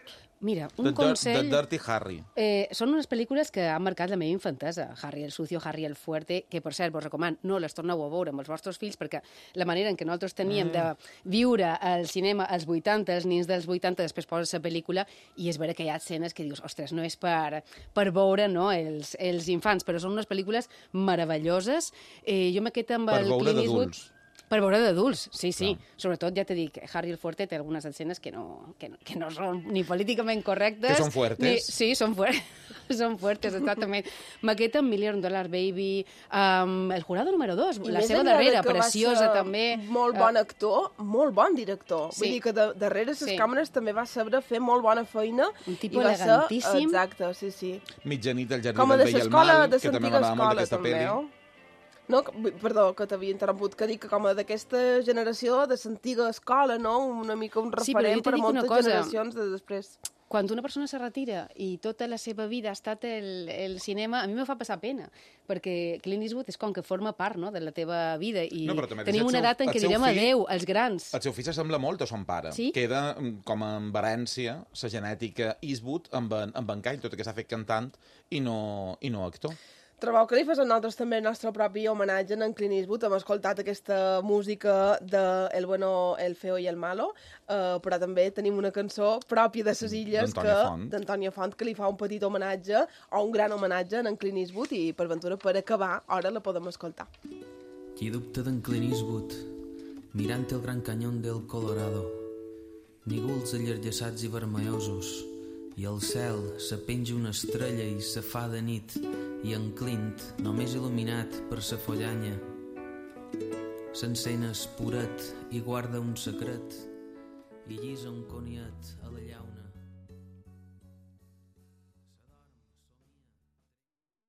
B: Mira, un
D: de,
B: consell...
D: De Dirty Harry.
B: Eh, són unes pel·lícules que han marcat la meva infantesa. Harry el Sucio, Harry el Fuerte, que, per cert, vos recomano, no les torneu a veure amb els vostres fills, perquè la manera en què nosaltres teníem mm. de viure al cinema als vuitanta, els nins dels vuitanta, després poses la pel·lícula, i és vera que hi ha escenes que dius, ostres, no és per, per veure no, els, els infants, però són unes pel·lícules meravelloses. Eh, jo m'he quedat amb
D: per
B: el
D: veure
B: Clint Eastwood...
D: d'adults.
B: Per veure d'adults, sí, sí.
D: No.
B: Sobretot, ja t'he dit, Harry el Fuerte té algunes escenes que no, que no, que no són ni políticament correctes...
D: Que són fuertes.
B: Ni, sí, són, fuer són fuertes, exactament. M'aqueta amb Million Dollar Baby, um, El jurado número dos, I la seva darrera, preciosa també.
C: Molt bon actor, uh, molt bon director.
B: Sí.
C: Vull dir que de, darrere les sí. càmeres també va saber fer molt bona feina.
B: Un tipus elegantíssim.
C: Ser, exacte, sí, sí.
D: Mitjanit del jardí
C: Com
D: del bé i el mal,
C: de
D: que també m'agradava molt d'aquesta pel·li.
C: No, perdó, que t'havia interromput, que dic que com a d'aquesta generació, de l'antiga escola, no? Una mica un referent
B: sí,
C: per a moltes
B: cosa.
C: generacions de després.
B: Quan una persona se retira i tota la seva vida ha estat el, el cinema, a mi me fa passar pena, perquè Clint Eastwood és com que forma part no, de la teva vida i
D: no,
B: tenim una edat en què direm adeu als grans.
D: El seu fill s'assembla molt a son pare.
B: Sí?
D: Queda com en herència la genètica Eastwood amb en, amb en Kyle, tot i que s'ha fet cantant i no, i no actor.
C: Trobeu que li fas a nosaltres també el nostre propi homenatge en Clint Eastwood. Hem escoltat aquesta música de El bueno, el feo i el malo, uh, però també tenim una cançó pròpia de ses illes d'Antònia Font. Font, que li fa un petit homenatge o un gran homenatge en Clint Eastwood i per ventura, per acabar, ara la podem escoltar.
S: Qui dubta d'en Clint Eastwood mirant el gran canyón del Colorado, nígols allargassats i vermellosos, i al cel se penja una estrella i se fa de nit, i en Clint, només il·luminat per sa follanya, s'encén espuret i guarda un secret, i llisa un coniat a la llauna.